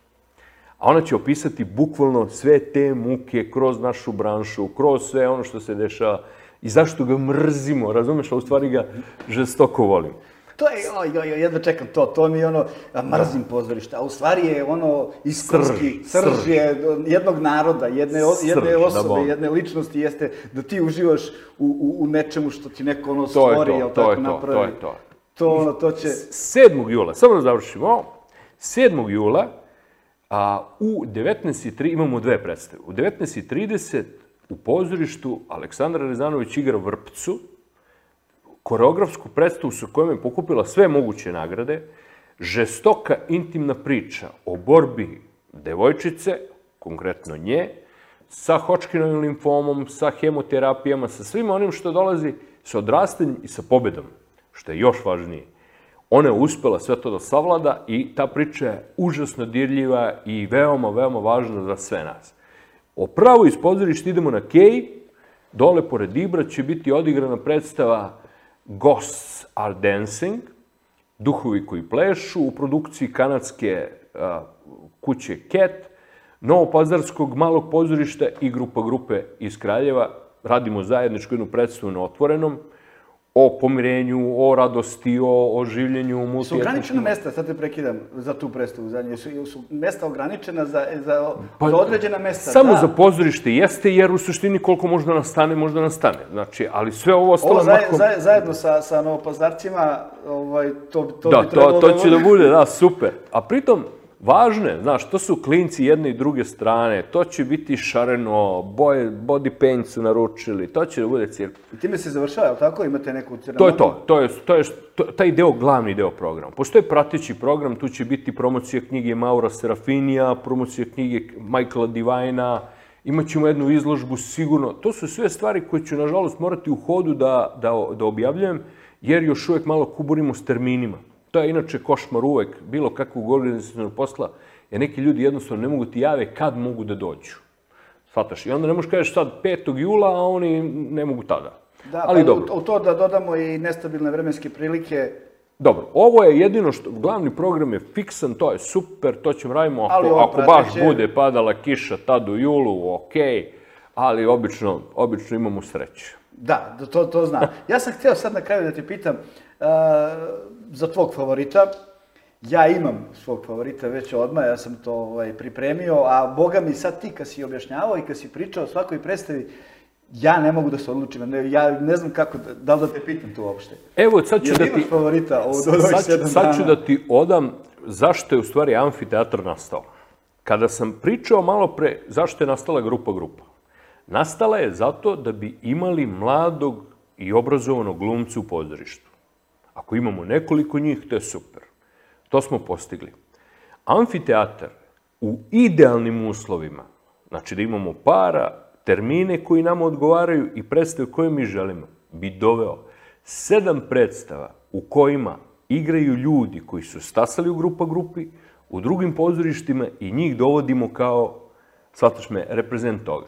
A ona će opisati bukvalno sve te muke kroz našu branšu, kroz sve ono što se dešava i zašto ga mrzimo, razumeš, a u stvari ga žestoko volimo. To je, jedva čekam to mi je ono, mrzim pozorište, a u stvari je ono iskonski, srž je jednog naroda, jedne osobe, jedne ličnosti, jeste da ti uživaš u nečemu što ti neko ono stvori, jel tako napravi. To će... 7. jula, samo da završimo, 7. jula u 19:30 imamo dve predstave. U 19:30 u pozorištu Aleksandra Rezanović igra Vrpcu, koreografsku predstavu sa kojom je pokupila sve moguće nagrade, žestoka intimna priča o borbi devojčice, konkretno nje, sa Hodgkinovim limfomom, sa hemoterapijama, sa svim onim što dolazi sa odrastanjem i sa pobedom, što je još važnije. Ona je uspela sve to da savlada i ta priča je užasno dirljiva i veoma, veoma važna za sve nas. Pravo iz pozorišta idemo na Kej, dole pored Ibra će biti odigrana predstava Ghosts are Dancing, duhovi koji plešu, u produkciji kanadske kuće Cat, novopazarskog malog pozorišta i grupe iz Kraljeva. Radimo zajedničku jednu predstavu na Otvorenom, o pomirenju, o radosti, o življenju multietničkim. Su ograničena mesta, sad te prekidam, za tu predstavu zadnje, su mesta ograničena za određena mesta? Samo za pozorište jeste, jer u suštini koliko možda nastane. Znači, ali sve ovo ostalo... Zajedno sa novopazarcima, to bi trebalo da... Da, to će da bude, da, super. A pritom, važno je, znaš, to su klinci jedne i druge strane, to će biti šareno, body paint su naručili, to će da bude cirkus. I time se završava, je li tako? Imate neku ceremoniju? To je taj deo, glavni deo programa. Postoje prateći program, tu će biti promocija knjige Maura Serafinija, promocija knjige Michaela Divina, imat ćemo jednu izložbu sigurno. To su sve stvari koje ću, nažalost, morati u hodu da objavljujem, jer još uvek malo kuburimo s terminima. To je inače košmar uvek, bilo kakvog organizacionog posla, jer neki ljudi jednostavno ne mogu ti jave kad mogu da dođu. Shvataš? I onda ne možeš kažeš sad 5. jula, a oni ne mogu tada. Da, pa u to da dodamo i nestabilne vremenske prilike. Dobro, ovo je jedino što, glavni program je fiksan, to je super, to ćemo radimo ako baš bude padala kiša tad u julu, okej, ali obično imamo sreće. Da, to znam. Ja sam htio sad na kraju da te pitam, za tvog favorita, ja imam svog favorita već odmah, ja sam to pripremio, a boga mi sad ti kad si objašnjavao i kad si pričao o svakoj predstavi, ja ne mogu da se odlučim, ja ne znam kako, da li da te pitam to uopšte. Evo, sad ću da ti... Imaš favorita od ovih 7 dana? Sad ću da ti odam zašto je u stvari amfiteatr nastao. Kada sam pričao malo pre zašto je nastala grupa. Nastala je zato da bi imali mladog i obrazovanog glumca u pozorištu. Ako imamo nekoliko njih, to je super. To smo postigli. Amfiteatar u idealnim uslovima, znači da imamo para, termine koji nama odgovaraju i predstave koje mi želimo, bi doveo 7 predstava u kojima igraju ljudi koji su stasali u grupi, u drugim pozorištima i njih dovodimo kao, shvataš me, reprezent toga.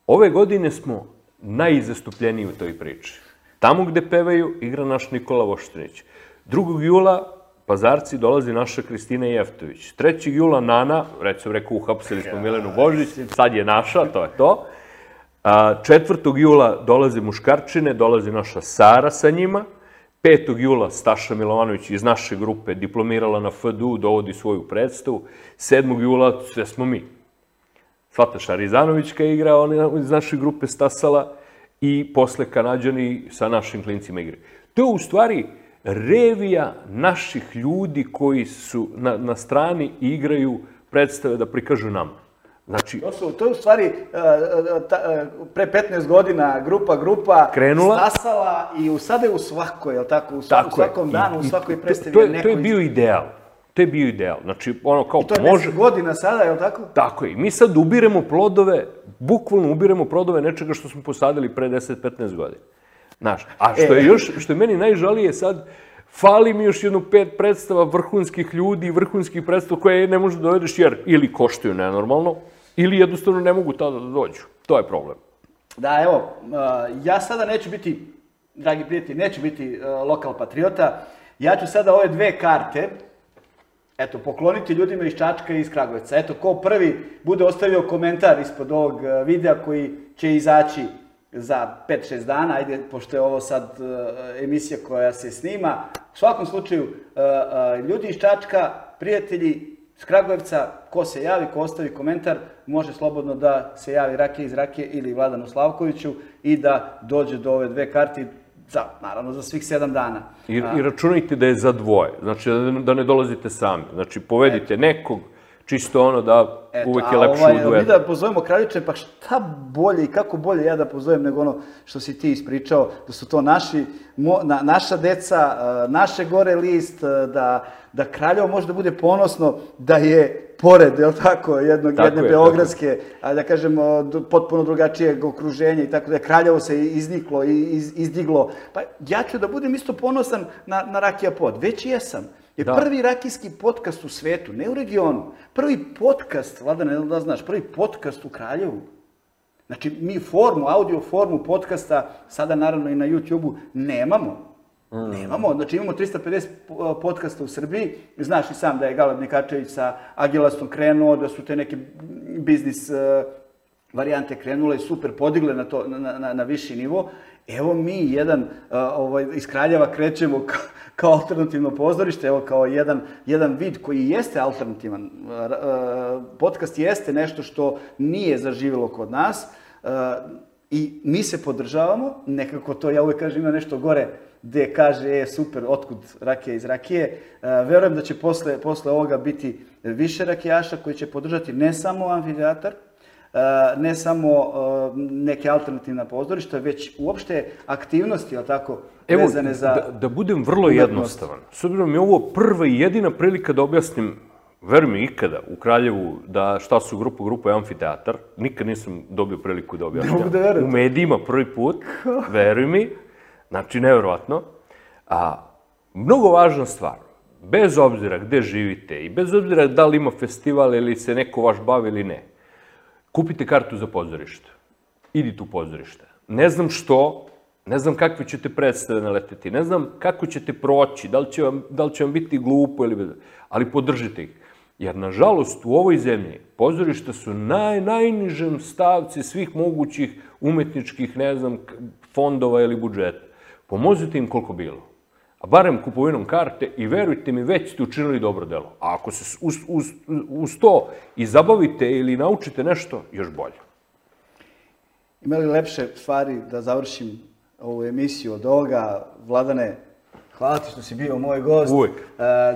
Ove godine smo najizastupljeniji u toj priči. Tamo gde pevaju, igra naš Nikola Voštinić. 2. jula Pazarci dolazi naša Kristina Jeftović. 3. jula Nana, recimo rekao, uhapsili smo Milenu Božić, sad je naša, to je to. 4. jula dolaze Muškarčine, dolazi naša Sara sa njima. 5. jula Staša Milovanović iz naše grupe diplomirala na FDU, dovodi svoju predstavu. 7. jula sve smo mi. Svataša Rizanovićka igra, on iz naše grupe Stasala i posle Kanađani sa našim klincima igre. To je u stvari revija naših ljudi koji su na strani i igraju predstave da prikažu nama. Znači, to je u stvari pre 15 godina grupa Stasala i sada je u svakoj, je li tako? U svakom danu, u svakoj predstavi je neko... To je bio ideal. To je bio ideal. Znači, ono kao... I to je 10 godina sada, je li tako? Tako je. Mi sad ubiremo plodove, bukvalno ubiremo plodove nečega što smo posadili pre 10-15 godina. Znaš, a što je meni najžalije sad, fali mi još jedno 5 predstava vrhunskih ljudi, vrhunskih predstava koje ne možeš da dovedeš jer ili koštaju nenormalno, ili jednostavno ne mogu tada da dođu. To je problem. Da, evo, ja sada neću biti, dragi prijatelji, neću biti lokal patriota. Ja ću sada ove 2 karte, eto, pokloniti ljudima iz Čačka i iz Kragujevca. Eto, ko prvi bude ostavio komentar ispod ovog videa koji će izaći za 5-6 dana, ajde, pošto je ovo sad emisija koja se snima. U svakom slučaju, ljudi iz Čačka, prijatelji iz Kragujevca, ko se javi, ko ostavi komentar, može slobodno da se javi Rakija iz Rakije ili Vladanu Slavkoviću i da dođe do ove 2 karte, naravno za svih 7 dana. I računajte da je za 2, znači da ne dolazite sami. Znači, povedite nekog, čisto ono da uvek je lepše u duetu. Mi da pozovemo Kraljiče, pa šta bolje i kako bolje ja da pozovem nego ono što si ti ispričao, da su to naša deca, naše gore list, da Kraljevo može da bude ponosno da je pored, je li tako, jedne beogradske, da kažemo, potpuno drugačijeg okruženja i tako da je Kraljevo se izniklo i izdiglo. Pa ja ću da budem isto ponosan na Rakija Pod, već i jesam. Je prvi rakijski podcast u svetu, ne u regionu. Prvi podcast, Vladane, da znaš, prvi podcast u Kraljevu. Znači, mi audio formu podcasta, sada naravno i na YouTube-u, nemamo. Nemamo, znači imamo 350 podcasta u Srbiji. Znaš i sam da je Galeb Nekačević sa Agilastom krenuo, da su te neke biznis varijante krenule i super podigle na viši nivo. Evo mi iz Kraljeva krećemo kao alternativno pozorište, evo kao jedan vid koji jeste alternativan. Podcast jeste nešto što nije zaživjelo kod nas i mi se podržavamo, nekako to ja uvek kažem ima nešto gore gde kaže super, otkud Rakija iz Rakije. Verujem da će posle ovoga biti više rakijaša koji će podržati ne samo amfiteatar, ne samo neke alternativna pozorišta, već uopšte aktivnosti, ali tako, vezane za... Evo, da budem vrlo jednostavan. S obzirom je ovo prva i jedina prilika da objasnim, veruj mi ikada, u Kraljevu, da šta su grupa je amfiteatar. Nikad nisam dobio priliku da objasnim. Ne mogu da verujem. U medijima prvi put, veruj mi, znači nevjerovatno. Mnogo važna stvar, bez obzira gde živite i bez obzira da li ima festival ili se neko vaš bavi ili ne, kupite kartu za pozorište. Idite u pozorište. Ne znam što, ne znam kakve ćete predstave naleteti, ne znam kako ćete proći, da li će vam biti glupo ili bez... Ali podržite ih. Jer, nažalost, u ovoj zemlji pozorišta su najnižem stavci svih mogućih umetničkih, ne znam, fondova ili budžeta. Pomozite im koliko bilo. A barem kupovinom karte i verujte mi, već ste učinili dobro delo. A ako se uz to i zabavite ili naučite nešto, još bolje. Ima li lepše stvari da završim ovu emisiju od ovoga? Vladane, hvala ti što si bio moj gost. Uvijek.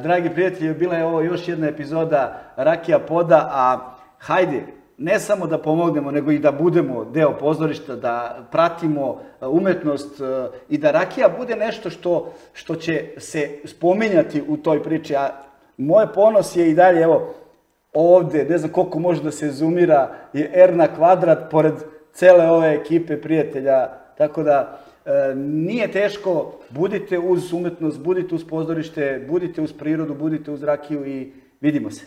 Dragi prijatelji, bila je ovo još jedna epizoda Rakija Poda, a hajde, ne samo da pomognemo, nego i da budemo deo pozorišta, da pratimo umetnost i da Rakija bude nešto što će se spominjati u toj priči. A moj ponos je i dalje, evo, ovde, ne znam koliko može da se zoomira, je R na kvadrat pored cele ove ekipe prijatelja. Tako da nije teško, budite uz umetnost, budite uz pozorište, budite uz prirodu, budite uz Rakiju i vidimo se.